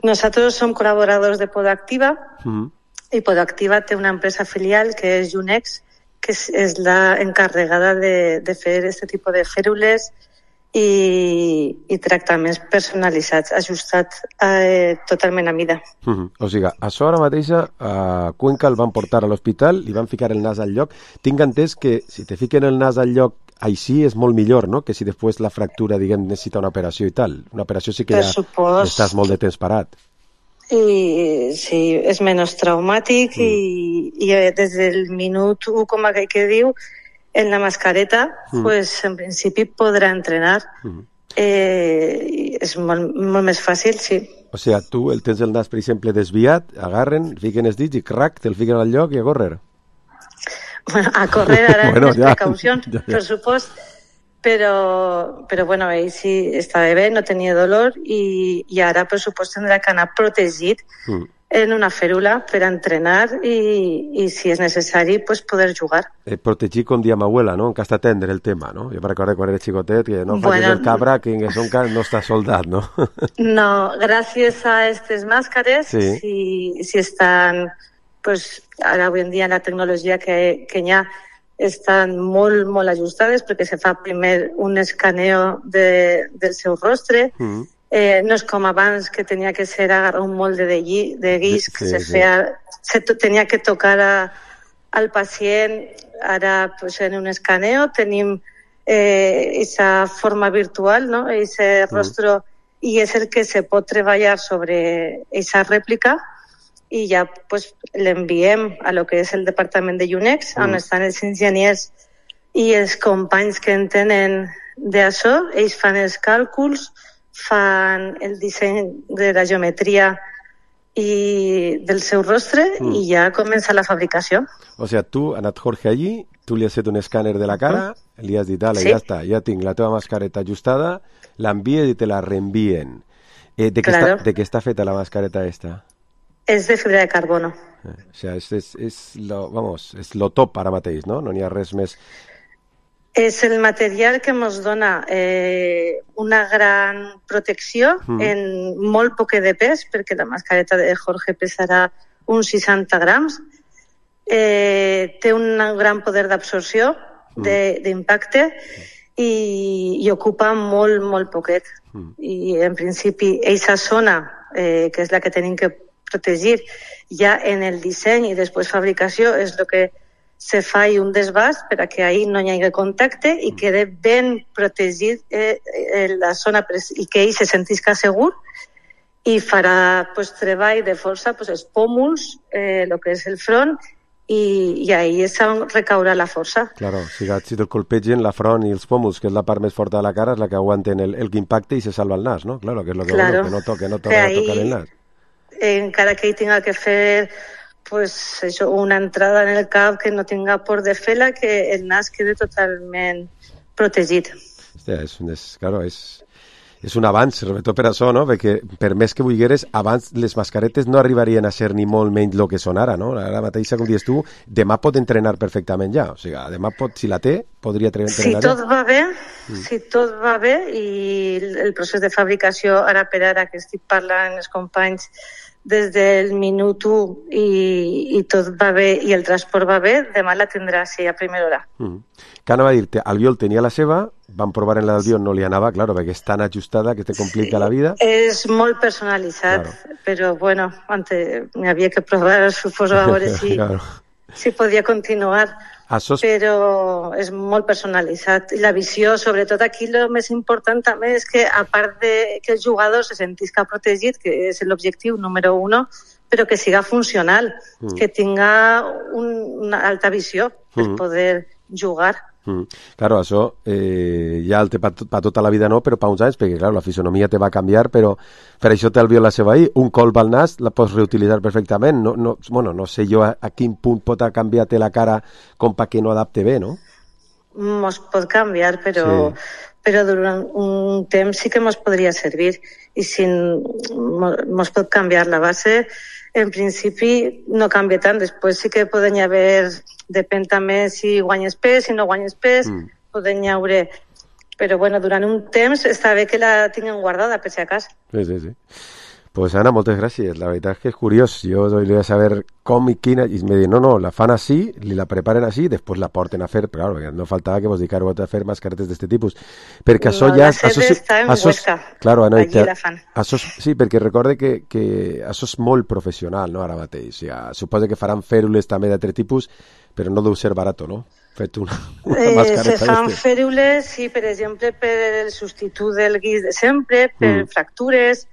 Speaker 17: Nosaltres som col·laboradors de Podactiva, mm. i Podactiva té una empresa filial que és Junex, que és, és la encarregada de, de fer aquest tipus de fèrules i, i tractaments personalitzats, ajustats eh, totalment a mida.
Speaker 3: Uh -huh. O sigui, això ara mateix a Cuenca el van portar a l'hospital, li van ficar el nas al lloc. Tinc entès que si te fiquen el nas al lloc així és molt millor, no?, que si després la fractura, diguem, necessita una operació i tal. Una operació sí que
Speaker 17: per
Speaker 3: ja
Speaker 17: supos...
Speaker 3: estàs molt de temps parat.
Speaker 17: I sí, és menys traumàtic mm. i, i des del minut u, com aquell que diu, en la mascareta, mm. pues en principi podrà entrenar. Mm. Eh, és molt, molt més fàcil, sí.
Speaker 3: O sigui, tu el tens el nas, per exemple, desviat, agarren, fiquen els dits i crac, te'l fiquen al lloc i a córrer.
Speaker 17: Bueno, a córrer ara
Speaker 3: bueno,
Speaker 17: amb
Speaker 3: ja,
Speaker 17: precaucions,
Speaker 3: ja, ja.
Speaker 17: per supost, però, però bueno, ell sí estava bé, no tenia dolor i, i ara, per supost, tindrà que anar protegit mm. en una fèrula per entrenar i, i si és necessari, pues, poder jugar.
Speaker 3: Eh, protegir, com dia m'abuela, no? Que està tendre el tema, no? Jo me recordo quan era xicotet que no
Speaker 17: bueno,
Speaker 3: facis el cabra, que en son no està soldat, no?
Speaker 17: No, gràcies a aquestes màscares,
Speaker 3: sí.
Speaker 17: si, si estan, pues, ara avui en dia la tecnologia que, que hi ha estan molt, molt ajustades perquè se fa primer un escaneo de, del seu rostre. Mm. Eh, no és com abans que tenia que ser agarrar un molde de, gui, de guix que sí, se feia, sí. se tenia que tocar a, al pacient. Ara, pues, en un escaneo tenim eh, esa forma virtual, no? Ese mm. rostro, i és el que se pot treballar sobre esa rèplica i ja, pues, l'enviem a lo que és el departament de Junex, mm. on estan els enginyers i els companys que en tenen d'això. Ells fan els càlculs, fan el disseny de la geometria i del seu rostre mm. i ja comença la fabricació.
Speaker 3: O sigui, tu, ha anat Jorge allí, tu li has fet un escàner de la cara, mm. li has dit, dale, sí. ja està, ja tinc la teva mascareta ajustada, l'envies i te la reenvien. Eh, de, què
Speaker 17: claro.
Speaker 3: està, de què està feta la mascareta esta?
Speaker 17: És de fibra de carbono.
Speaker 3: Eh, o sigui, és, és, és, lo, vamos, és lo top ara mateix, no? No n'hi ha res més...
Speaker 17: És el material que ens dona eh, una gran protecció mm. en molt poc de pes, perquè la mascareta de Jorge pesarà uns seixanta grams. Eh, té un gran poder d'absorció, mm. d'impacte, i, i ocupa molt, molt poquet. Mm. I, en principi, aquesta zona, eh, que és la que tenim que protegir, ja en el disseny i després fabricació, és el que se fa un desbast per a que ahir no hi hagi contacte i quede ben protegit eh, eh, la zona i que ell se sentisca segur i farà pues, treball de força pues, els pòmuls, eh, el que és el front, i, i ahir és on recaurà la força.
Speaker 3: Claro, si, si te'l colpegen la front i els pòmuls, que és la part més forta de la cara, és la que aguanten el, el impacte i se salva el nas, no? Claro, que és lo que,
Speaker 17: claro.
Speaker 3: Bueno, que no toque, no toque a tocar el nas.
Speaker 17: Eh, encara que ell tinga que fer pues, això, una entrada en el cap que no tinga por de fer-la, que el nas quede totalment protegit.
Speaker 3: Hòstia, és, és, claro, és, és un avanç, sobretot per això, no? Perquè per més que vulgueres, abans les mascaretes no arribarien a ser ni molt menys el que són ara, no? Ara mateixa, com dius tu, demà pot entrenar perfectament ja. O sigui, demà pot, si la té, podria entrenar
Speaker 17: si
Speaker 3: ja.
Speaker 17: Tot va bé, mm. Si tot va bé i el procés de fabricació ara per ara que estic parlant amb els companys des del minut u i, i tot va bé i el transport va bé, demà la tindrà sí, a primera hora.
Speaker 3: Mm. Que anava a dir-te, Albiol tenia la seva, van provar en la d'Albiol, no li anava, claro, perquè és tan ajustada que te complica sí, la vida.
Speaker 17: És molt personalitzat, claro. Però bueno, antes m'hi havia que provar, suposo, a veure si, claro. si podia continuar. Sos... Però és molt personalitzat. I la visió, sobretot aquí, el més important també és que, a part de que el jugador se sentisca protegit, que és l'objectiu número uno, però que siga funcional, mm. que tinga un, una alta visió per mm. poder jugar.
Speaker 3: Mm. Claro, això eh, ja el té per pa tota la vida no, però per uns anys, perquè claro, la fisonomia te va canviar, però per això té el Albiol la seva ahí, un colp al nas la pots reutilitzar perfectament, no, no, bueno, no sé jo a, a quin punt pot canviar-te la cara com perquè no adapte bé, no?
Speaker 17: Mos pot canviar, però, sí. però durant un temps sí que mos podria servir, i si mos pot canviar la base, en principi no canvia tant, després sí que poden haver, depèn també si guanyes pes, si no guanyes pes, mm. poden haure, però bueno, durant un temps està bé que la tinguin guardada, per si acas.
Speaker 3: Sí, sí, sí. Pues Ana, moltes gràcies. La veritat és que és curiós. Jo volia saber com i quina... I me diuen, no, no, la fan així, li la preparen així, després la porten a fer... Però claro, no faltava que vos dedicar a fer mascaretes d'aquest tipus. Perquè això
Speaker 17: no,
Speaker 3: ja...
Speaker 17: La sede
Speaker 3: això,
Speaker 17: està en
Speaker 3: això,
Speaker 17: Huesca.
Speaker 3: Claro, no,
Speaker 17: allí la fan.
Speaker 3: Això, sí, perquè recorde que, que això és molt professional, no?, ara mateix. O sigui, suposa que faran fèrules també d'altre tipus, però no deu ser barat, no? Fet una, una
Speaker 17: eh,
Speaker 3: mascareta.
Speaker 17: Se fan fèrules, sí, per exemple, per el substitut del guix de sempre, per mm. fractures...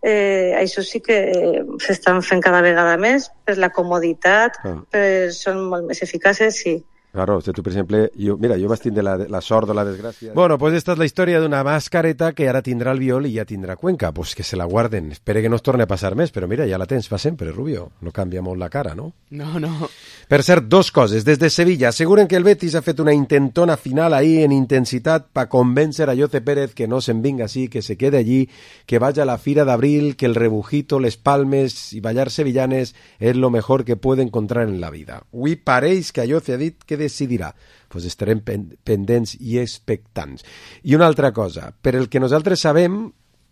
Speaker 17: Eh, això sí que eh, s'estan fent cada vegada més per la comoditat, ah. per, són molt més eficaces, sí.
Speaker 3: Claro, tu, per exemple, jo, mira, jo vaig tindre la, la sort o la desgràcia... Bueno, pues esta és la història d'una mascareta que ara tindrà Albiol i ja tindrà Cuenca. Pues que se la guarden. Espere que no es torni a passar més, però mira, ja la tens per sempre, Rubio. No canvia molt la cara, no?
Speaker 4: No, no.
Speaker 3: Per cert, dos coses. Des de Sevilla asseguren que el Betis ha fet una intentona final ahí en intensitat per convèncer a Jose Pérez que no se'n vinga així, que se quede allí, que vaya a la Fira d'Abril, que el rebujito, les palmes i ballar sevillanes és lo mejor que puede encontrar en la vida. Avui pareix que a Jose ha dit que decidirà. Pues estarem pendents i expectants. I una altra cosa, per el que nosaltres sabem,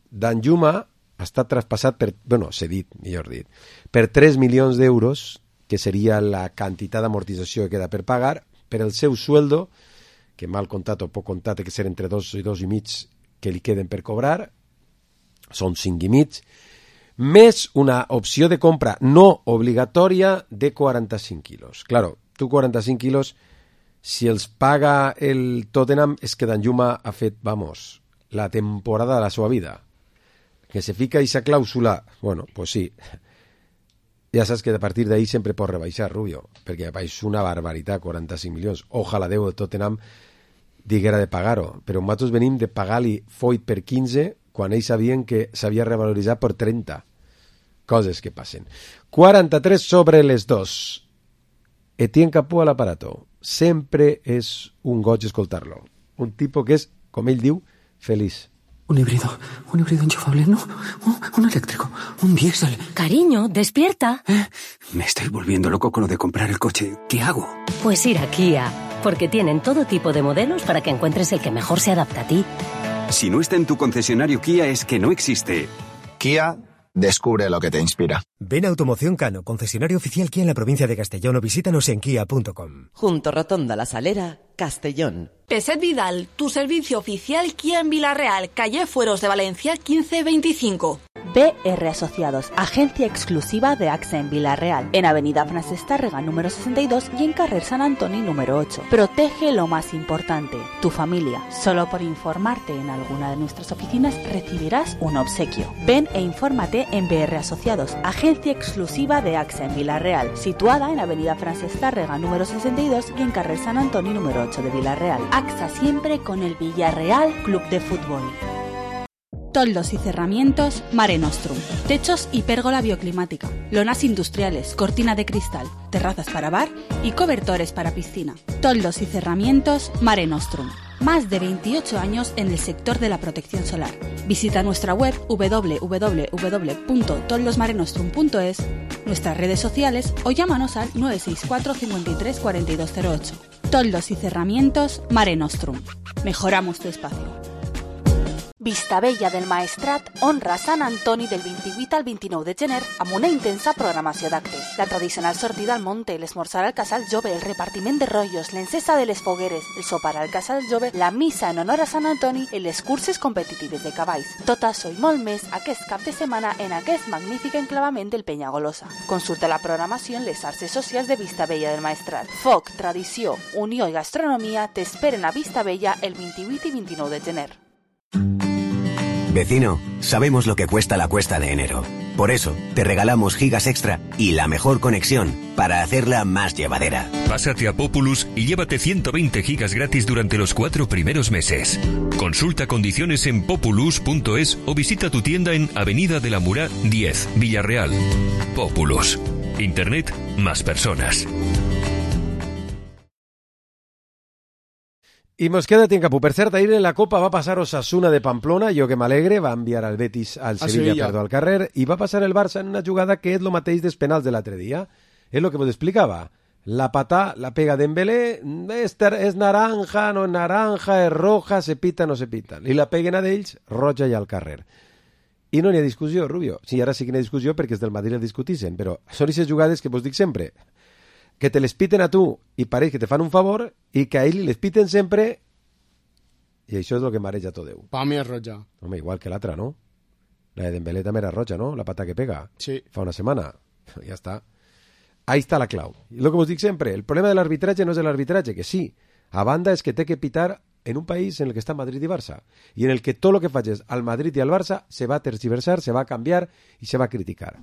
Speaker 3: Danjuma ha estat traspassat per, bueno, cedit, millor dit, per tres milions d'euros, que seria la quantitat d'amortització que queda per pagar, per el seu sueldo, que mal comptat o poc comptat, que ser entre dos i dos i mig que li queden per cobrar, són cinc i mig, més una opció de compra no obligatòria de quaranta-cinc quilos. Claro, tu quaranta-cinc quilos, si els paga el Tottenham, és que Danjuma ha fet, vamos, la temporada de la seva vida. Que se fica aquesta clàusula, bueno, pues sí, ja saps que a partir d'ahí sempre pot rebaixar, Rubio, perquè és una barbaritat, quaranta-cinc milions. Ojalà Déu el Tottenham diguera de pagar-ho, però nosaltres venim de pagar-li Foyt per quinze quan ells sabien que s'havia revaloritzat per trenta. Coses que passen. quaranta-tres sobre les dos. Etienne Capó a l'aparato. Sempre és un goig escoltar-lo. Un tipo que és, com ell diu, feliç.
Speaker 18: Un híbrido, un híbrido enchufable, no, un, un eléctrico, un diésel.
Speaker 19: Cariño, despierta.
Speaker 18: ¿Eh? Me estoy volviendo loco con lo de comprar el coche. ¿Qué hago?
Speaker 19: Pues ir a Kia, porque tienen todo tipo de modelos para que encuentres el que mejor se adapta a ti.
Speaker 20: Si no está en tu concesionario Kia es que no existe.
Speaker 21: Kia, descubre lo que te inspira.
Speaker 20: Ven a Automoción Cano, concesionario oficial Kia en la provincia de Castellón, o visítanos en kia punto com.
Speaker 10: Junto Rotonda La Salera, Castellón.
Speaker 7: Peset Vidal, tu servicio oficial Kia en Villarreal, calle Fueros de Valencia quince veinticinco. B R Asociados, agencia exclusiva de AXA en Villarreal, en Avenida Francesc Tárrega número sesenta y dos y en Carrer San Antoni número ocho. Protege lo más importante, tu familia. Solo por informarte en alguna de nuestras oficinas recibirás un obsequio. Ven e infórmate en B R Asociados, agencia exclusiva de AXA en Villarreal, situada en Avenida Francesc Tárrega número sesenta y dos y en Carrer San Antoni número ocho de Villarreal. AXA siempre con el Villarreal Club de Fútbol. Toldos y cerramientos Mare Nostrum. Techos y pérgola bioclimática. Lonas industriales, cortina de cristal, terrazas para bar y cobertores para piscina. Toldos y cerramientos Mare Nostrum. Más de veintiocho años en el sector de la protección solar. Visita nuestra web doble u doble u doble u punto toldos mare nostrum punto es, nuestras redes sociales o llámanos al nueve seis cuatro cincuenta y tres cuarenta y dos cero ocho. Toldos y cerramientos Mare Nostrum. Mejoramos tu espacio. Vistabella del Maestrat honra Sant Antoni del vint-i-vuit al vint-i-nou de gener amb una intensa programació d'actes. La tradicional sortida al monte, l'esmorzar al Casal Jove, el repartiment de rotllos, l'encesa de les fogueres, el sopar al Casal Jove, la missa en honor a Sant Antoni i les curses competitives de cavalls. Tot això i molt més aquest cap de setmana en aquest magnífic enclavament del Penyagolosa. Consulta la programació en les xarxes socials de Vistabella del Maestrat. Foc, tradició, unió i gastronomia t'esperen a Vistabella el vint-i-vuit i vint-i-nou de gener.
Speaker 21: Vecino, sabemos lo que cuesta la cuesta de enero. Por eso, te regalamos gigas extra y la mejor conexión para hacerla más llevadera.
Speaker 22: Pásate a Populus y llévate ciento veinte gigas gratis durante los cuatro primeros meses. Consulta condiciones en populus punto es o visita tu tienda en Avenida de la Murá diez, Villarreal. Populus. Internet más personas.
Speaker 3: I mos queda tiempo. Per cert, ahir en la Copa va passar Osasuna de Pamplona, jo que m'alegre, va enviar al Betis, al Sevilla, Sevilla. Perdó, al carrer, i va passar el Barça en una jugada que és lo mateix dels penals de l'altre dia. És lo que vos explicava. La patá, la pega Dembélé, és, és naranja, no és naranja, és roja, se pita, no se pita. I la peguen a d'ells, roja i al carrer. I no n'hi ha discussió, Rubio. Sí, ara sí que n'hi ha discussió perquè els del Madrid el discutixen, però són aquestes jugades que vos dic sempre, que te les piten a tu i pareix que te fan un favor i que a ell les piten sempre i això és el que mareja tot Déu.
Speaker 4: Pa mi és roja.
Speaker 3: Home, igual que l'altra, no? La de Dembélé també era roja, no? La pata que pega.
Speaker 4: Sí.
Speaker 3: Fa una setmana. Ja està. Ahí està la clau. I el que vos dic sempre, el problema de l'arbitratge no és l'arbitratge, que sí. A banda és que té que pitar en un país en el que està Madrid i Barça i en el que tot el que facis al Madrid i al Barça se va tergiversar, se va canviar i se va criticar.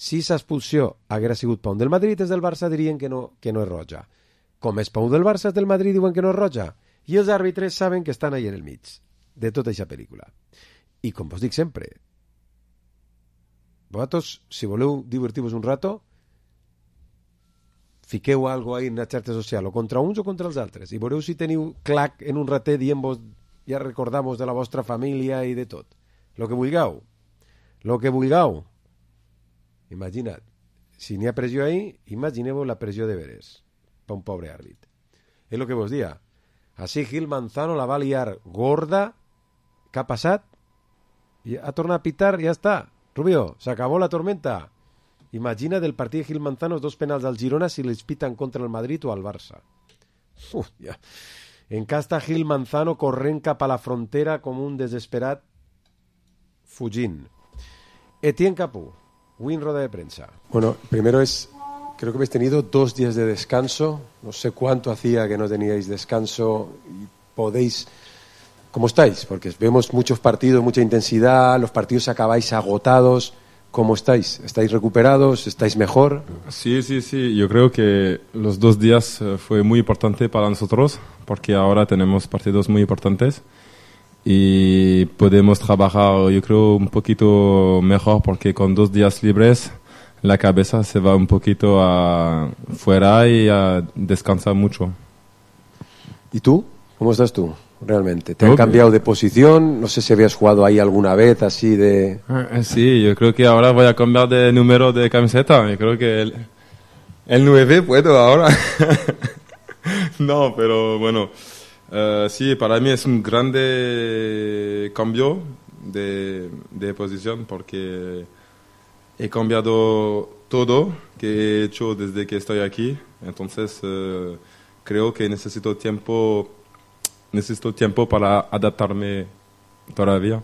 Speaker 3: Si aquesta expulsió haguera sigut pa un del Madrid, és del Barça dirien que no, que no és roja. Com és pa un del Barça, és del Madrid diuen que no és roja. I els àrbitres saben que estan ahí en el mig de tota aquesta pel·lícula. I com vos dic sempre, vosaltres, si voleu divertir-vos un rato, fiqueu algo ahí en la xarxa social, o contra uns o contra els altres, i veureu si teniu clac en un ratet dient-vos, ja recordamos de la vostra família i de tot. Lo que vulgueu. Lo que vulgueu. Imagina't, si n'hi ha pressió ahí, imagineu la pressió de veres per un pobre àrbit. És el que vos dia. Així Gil Manzano la va liar gorda. Què ha passat? I ha tornat a pitar, ja està. Rubio, s'acabó la tormenta. Imagina del partit de Gil Manzano dos penals al Girona si les pitan contra el Madrid o al Barça. Uf, ja. Encasta Gil Manzano corrent cap a la frontera com un desesperat fugint. Etienne Capú, win rueda de prensa. Bueno, primero es, creo que habéis tenido dos días de descanso. No sé cuánto hacía que no teníais descanso y podéis... ¿Cómo estáis? Porque vemos muchos partidos, mucha intensidad, los partidos acabáis agotados. ¿Cómo estáis? ¿Estáis recuperados? ¿Estáis mejor?
Speaker 5: Sí, sí, sí. Yo creo que los dos días fue muy importante para nosotros porque ahora tenemos partidos muy importantes y podemos trabajar, yo creo, un poquito mejor porque con dos días libres la cabeza se va un poquito a fuera y a descansar mucho.
Speaker 3: ¿Y tú? ¿Cómo estás tú? Realmente, ¿te han cambiado de posición? No sé si habías jugado ahí alguna vez así de...
Speaker 5: Sí, yo creo que ahora voy a cambiar de número de camiseta. Yo creo que el, el nueve puedo ahora. No, pero bueno, uh, sí, para mí es un grande cambio de, de posición porque he cambiado todo que he hecho desde que estoy aquí. Entonces eh, creo que necesito tiempo, necesito tiempo para adaptarme todavía.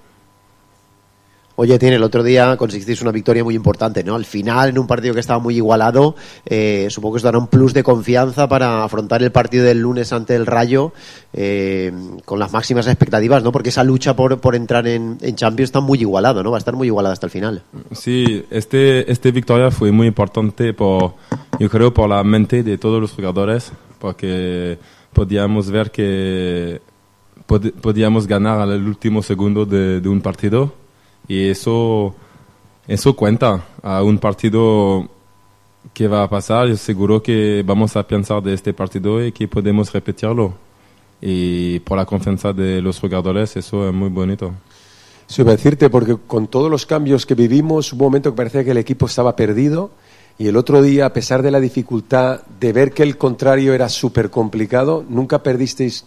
Speaker 1: Oye, Tiene, el otro día conseguisteis una victoria muy importante, ¿no? Al final, en un partido que estaba muy igualado, eh, supongo que os dará un plus de confianza para afrontar el partido del lunes ante el Rayo eh, con las máximas expectativas, ¿no? Porque esa lucha por, por entrar en, en Champions está muy igualada, ¿no? Va a estar muy igualada hasta el final.
Speaker 5: Sí, este, este victoria fue muy importante, por, yo creo, por la mente de todos los jugadores, porque podíamos ver que pod, podíamos ganar al último segundo de, de un partido. Y eso, eso cuenta a un partido que va a pasar. Yo seguro que vamos a pensar de este partido y que podemos repetirlo. Y por la confianza de los jugadores, eso es muy bonito.
Speaker 3: Eso iba a decirte, porque con todos los cambios que vivimos, hubo un momento que parecía que el equipo estaba perdido. Y el otro día, a pesar de la dificultad de ver que el contrario era súper complicado, nunca perdisteis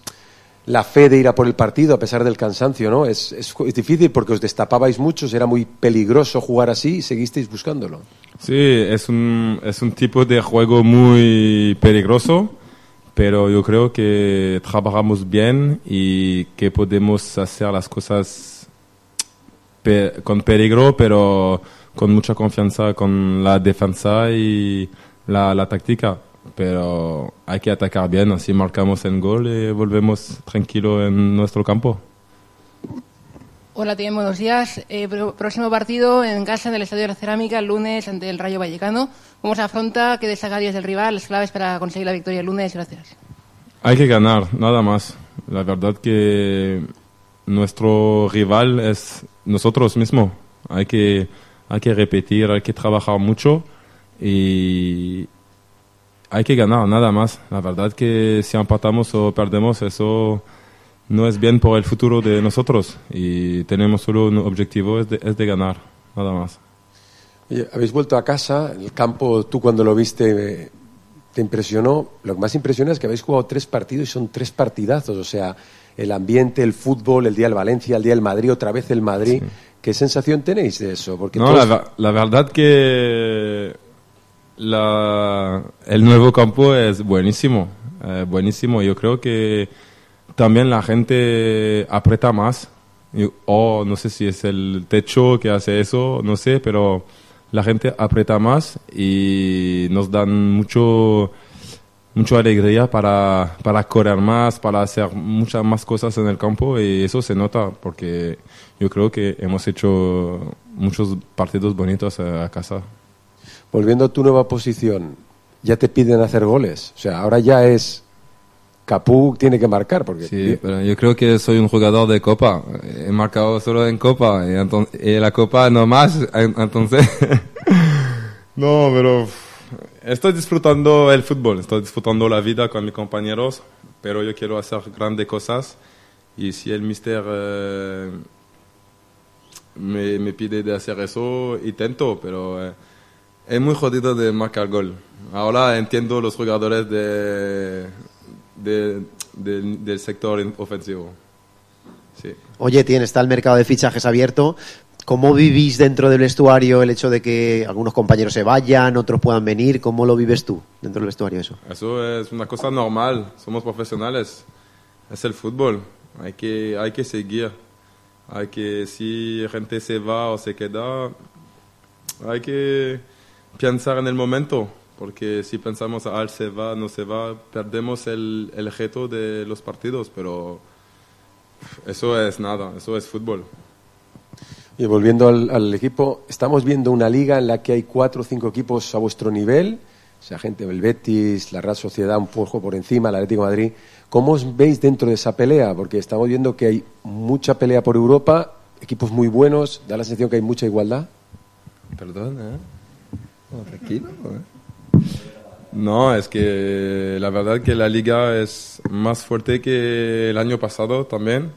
Speaker 3: la fe de ir a por el partido a pesar del cansancio, ¿no? Es, es, es difícil porque os destapabais muchos, era muy peligroso jugar así y seguisteis buscándolo.
Speaker 5: Sí, es un, es un tipo de juego muy peligroso, pero yo creo que trabajamos bien y que podemos hacer las cosas pe- con peligro, pero con mucha confianza con la defensa y la, la táctica. Pero hay que atacar bien, así marcamos el gol y volvemos tranquilo en nuestro campo.
Speaker 2: Hola, Tiene, buenos días. Eh, pro- próximo partido en casa en el Estadio de la Cerámica el lunes ante el Rayo Vallecano. ¿Cómo se afronta? ¿Qué destacarías del rival? Las claves para conseguir la victoria el lunes. Gracias.
Speaker 5: Hay que ganar, nada más. La verdad que nuestro rival es nosotros mismos. Hay que, hay que repetir, hay que trabajar mucho y hay que ganar, nada más. La verdad que si empatamos o perdemos, eso no es bien por el futuro de nosotros. Y tenemos solo un objetivo, es de, es de ganar, nada más.
Speaker 3: Oye, habéis vuelto a casa, el campo, tú cuando lo viste te impresionó. Lo que más impresiona es que habéis jugado tres partidos y son tres partidazos. O sea, el ambiente, el fútbol, el día del Valencia, el día del Madrid, otra vez el Madrid. Sí. ¿Qué sensación tenéis de eso? Porque
Speaker 5: no, todos... la, la verdad que La, el nuevo campo es buenísimo, eh, buenísimo. Yo creo que también la gente aprieta más, o no sé si es el techo que hace eso, no sé, pero la gente aprieta más y nos dan mucho, mucha alegría para, para correr más, para hacer muchas más cosas en el campo y eso se nota porque yo creo que hemos hecho muchos partidos bonitos a, a casa.
Speaker 3: Volviendo a tu nueva posición, ya te piden hacer goles. O sea, ahora ya es Capú tiene que marcar. Porque
Speaker 5: sí, pero yo creo que soy un jugador de Copa. He marcado solo en Copa y, entonces, y la Copa no más. Entonces, no, pero estoy disfrutando el fútbol, estoy disfrutando la vida con mis compañeros, pero yo quiero hacer grandes cosas y si el míster eh, me, me pide de hacer eso, intento, pero... Eh, es muy jodido de marcar gol. Ahora entiendo los jugadores de, de, de, del sector ofensivo. Sí.
Speaker 1: Oye, Tiene, está el mercado de fichajes abierto. ¿Cómo vivís dentro del vestuario el hecho de que algunos compañeros se vayan, otros puedan venir? ¿Cómo lo vives tú dentro del vestuario eso?
Speaker 5: Eso es una cosa normal. Somos profesionales. Es el fútbol. Hay que, hay que seguir. Hay que, si gente se va o se queda, hay que pensar en el momento, porque si pensamos, ah, se va, no se va, perdemos el, el reto de los partidos, pero eso es nada, eso es fútbol.
Speaker 3: Y volviendo al, al equipo, estamos viendo una liga en la que hay cuatro o cinco equipos a vuestro nivel, o sea, gente del Betis, la Real Sociedad un poco por encima, el Atlético de Madrid. ¿Cómo os veis dentro de esa pelea? Porque estamos viendo que hay mucha pelea por Europa, equipos muy buenos, da la sensación que hay mucha igualdad.
Speaker 5: Perdón, ¿eh? Oh, tranquilo, ¿eh? No, es que la verdad que la liga es más fuerte que el año pasado también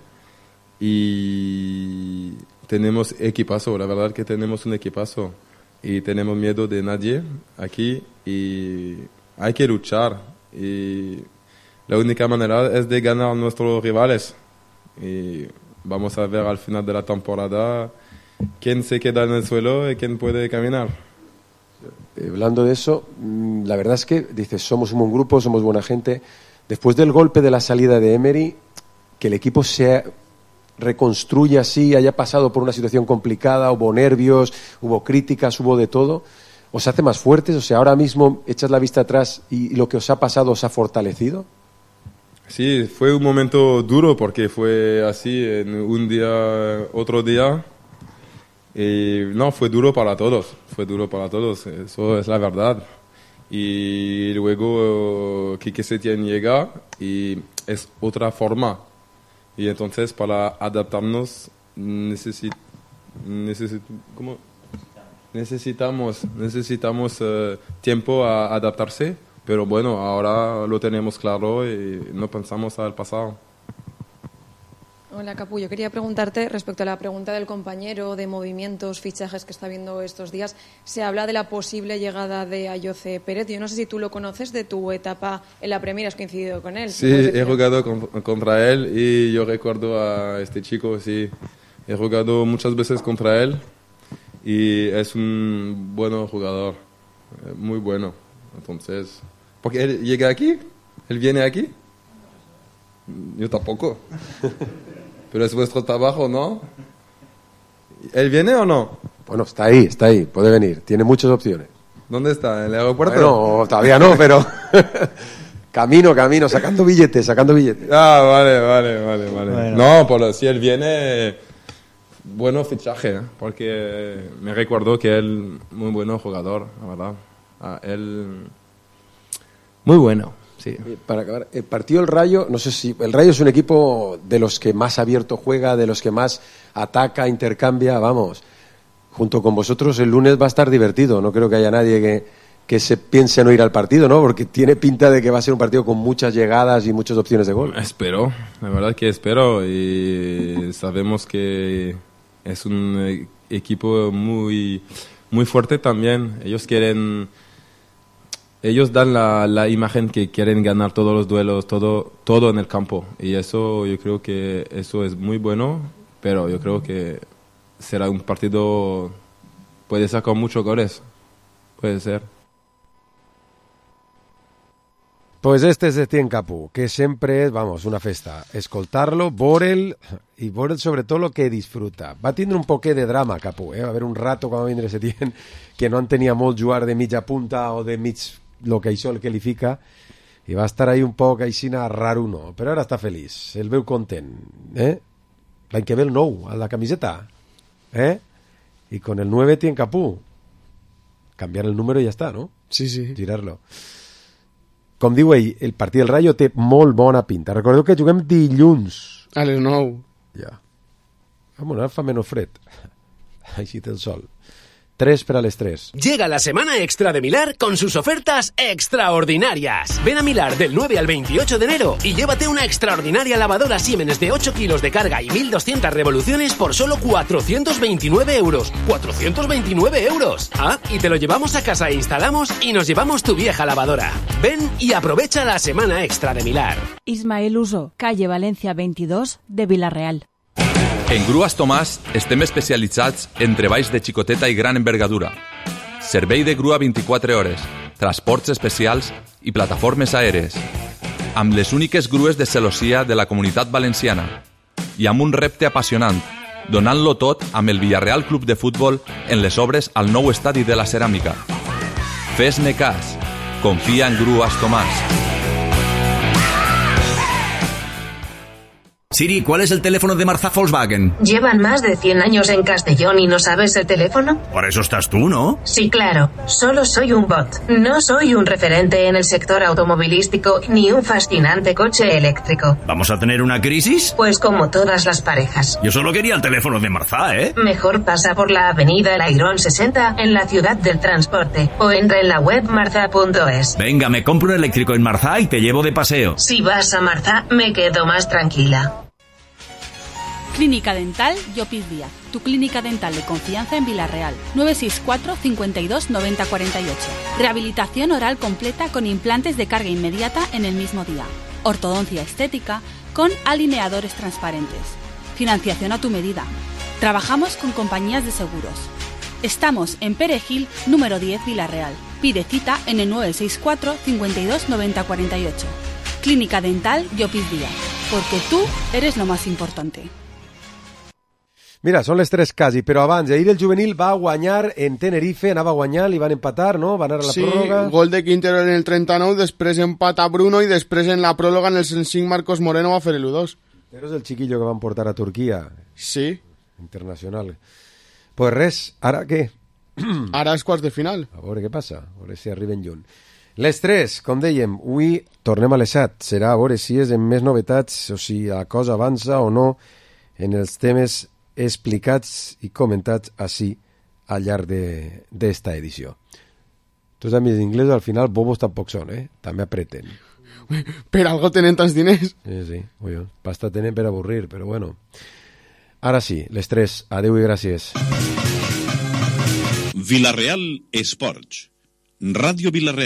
Speaker 5: y tenemos equipazo, la verdad que tenemos un equipazo y tenemos miedo de nadie aquí y hay que luchar y la única manera es de ganar a nuestros rivales y vamos a ver al final de la temporada quién se queda en el suelo y quién puede caminar.
Speaker 3: Eh, hablando de eso, la verdad es que dices, somos un buen grupo, somos buena gente. Después del golpe de la salida de Emery, que el equipo se reconstruya así, haya pasado por una situación complicada, hubo nervios, hubo críticas, hubo de todo, ¿os hace más fuertes? O sea, ahora mismo echas la vista atrás y lo que os ha pasado os ha fortalecido.
Speaker 5: Sí, fue un momento duro porque fue así, en un día, otro día, y no, fue duro para todos, fue duro para todos, eso es la verdad. Y luego Quique Setién llega y es otra forma. Y entonces para adaptarnos necesit, necesit, ¿cómo? necesitamos, necesitamos uh, tiempo a adaptarse, pero bueno, ahora lo tenemos claro y no pensamos al pasado.
Speaker 8: Hola, Capu. Yo quería preguntarte respecto a la pregunta del compañero de movimientos, fichajes que está viendo estos días. Se habla de la posible llegada de Ayoce Pérez. Yo no sé si tú lo conoces de tu etapa en la Premier, has coincidido con él.
Speaker 5: Sí, he jugado con, contra él y yo recuerdo a este chico, sí, he jugado muchas veces contra él y es un buen jugador, muy bueno. Entonces, porque él llega aquí, él viene aquí, yo tampoco. Pero es vuestro trabajo, ¿no? ¿Él viene o no?
Speaker 3: Bueno, está ahí, está ahí, puede venir. Tiene muchas opciones.
Speaker 5: ¿Dónde está? ¿En el aeropuerto?
Speaker 3: Bueno, todavía no, pero camino, camino, sacando billetes, sacando billetes.
Speaker 5: Ah, vale, vale, vale, vale. Bueno. No, por, si él viene, bueno fichaje, ¿eh? Porque me recuerdo que él, muy bueno jugador, la verdad. Ah, él, muy bueno. Sí.
Speaker 3: Para acabar, el partido del Rayo, no sé si el Rayo es un equipo de los que más abierto juega, de los que más ataca, intercambia, vamos. Junto con vosotros el lunes va a estar divertido, no creo que haya nadie que, que se piense no ir al partido, ¿no? Porque tiene pinta de que va a ser un partido con muchas llegadas y muchas opciones de gol.
Speaker 5: Espero, la verdad que espero y sabemos que es un equipo muy, muy fuerte también. Ellos quieren... Ellos dan la, la imagen que quieren ganar todos los duelos, todo, todo en el campo. Y eso, yo creo que eso es muy bueno, pero yo creo que será un partido, puede sacar muchos goles, puede ser.
Speaker 3: Pues este es Etienne Capu, que siempre es, vamos, una festa. Escoltarlo, Borel, y Borel sobre todo lo que disfruta. Va tindre un poquet de drama, Capu, eh? Va haver un rato quan va vindre Setién que no entenia molt jugar de mitja punta o de mig lo que això el qualifica, i va estar ahí un poc aixina raro, no, però ara està feliç, el veu content, eh? L'any que ve el nou, a la camiseta, eh? Y con el nueve Etienne Capu, cambiar el número i ja està, no?
Speaker 4: Sí, sí.
Speaker 3: Girar-lo. Com diu ell, el partit del Rayo té molt bona pinta. Recordeu que juguem dilluns.
Speaker 4: A les nou.
Speaker 3: Ja. Vamos, ara fa menys fred. Així té el sol. Tres para las tres.
Speaker 9: Llega la semana extra de Milar con sus ofertas extraordinarias. Ven a Milar del nueve al veintiocho de enero y llévate una extraordinaria lavadora Siemens de ocho kilos de carga y mil doscientas revoluciones por solo cuatrocientos veintinueve euros. ¡cuatrocientos veintinueve euros! Ah, y te lo llevamos a casa e instalamos y nos llevamos tu vieja lavadora. Ven y aprovecha la semana extra de Milar.
Speaker 23: Ismael Uso, calle Valencia veintidós de Vilareal.
Speaker 24: En Grues Tomàs estem especialitzats en treballs de xicoteta i gran envergadura. Servei de grua vint-i-quatre hores, transports especials i plataformes aèries. Amb les úniques grues de celossia de la Comunitat Valenciana. I amb un repte apassionant, donant-lo tot amb el Villarreal Club de Futbol en les obres al nou estadi de la Ceràmica. Fes-ne cas. Confia en Grues Tomàs.
Speaker 25: Siri, ¿cuál es el teléfono de Marza Volkswagen?
Speaker 26: ¿Llevan más de cien años en Castellón y no sabes el teléfono?
Speaker 25: Por eso estás tú, ¿no?
Speaker 26: Sí, claro. Solo soy un bot. No soy un referente en el sector automovilístico ni un fascinante coche eléctrico.
Speaker 25: ¿Vamos a tener una crisis?
Speaker 26: Pues como todas las parejas.
Speaker 25: Yo solo quería el teléfono de Marza, ¿eh?
Speaker 26: Mejor pasa por la avenida El Airón sesenta en la ciudad del transporte o entra en la web marza punto es.
Speaker 25: Venga, me compro un eléctrico en Marza y te llevo de paseo.
Speaker 26: Si vas a Marza, me quedo más tranquila.
Speaker 7: Clínica Dental Llopis Díaz, tu clínica dental de confianza en Vilareal. nueve seis cuatro, cincuenta y dos, noventa cuarenta y ocho. Rehabilitación oral completa con implantes de carga inmediata en el mismo día. Ortodoncia estética con alineadores transparentes. Financiación a tu medida. Trabajamos con compañías de seguros. Estamos en Perejil, número diez, Villarreal. Pide cita en el nueve seis cuatro, cincuenta y dos, noventa, cuarenta y ocho. Clínica Dental Llopis Díaz, porque tú eres lo más importante.
Speaker 3: Mira, són les tres quasi, però abans, ahir el juvenil va guanyar en Tenerife, anava a guanyar, li van empatar, no? Va anar a la
Speaker 4: sí,
Speaker 3: pròrroga.
Speaker 4: Sí, gol de Quintero en el trenta-nou, després empat a Bruno i després en la pròrroga en el cent cinc Marcos Moreno va fer el u dos.
Speaker 3: Però és el chiquillo que van portar a Turquia.
Speaker 4: Sí.
Speaker 3: Internacional. Pues res, ara què?
Speaker 4: Ara és quarts de final.
Speaker 3: A veure què passa, a veure si arriben lluny. Les tres, com dèiem, avui tornem a les set. Serà a veure si és en més novetats o si la cosa avança o no en els temes explicats i comentats així al llarg d'esta edició. Tus amics inglesos al final bobos tampoc són, eh? També apreten.
Speaker 4: Per algo tenen tants diners.
Speaker 3: Sí, sí, bueno, pasta tenen per avorrir, però bueno. Ara sí, les tres, adeu i gràcies.
Speaker 11: Villarreal Esports. Ràdio Villarreal.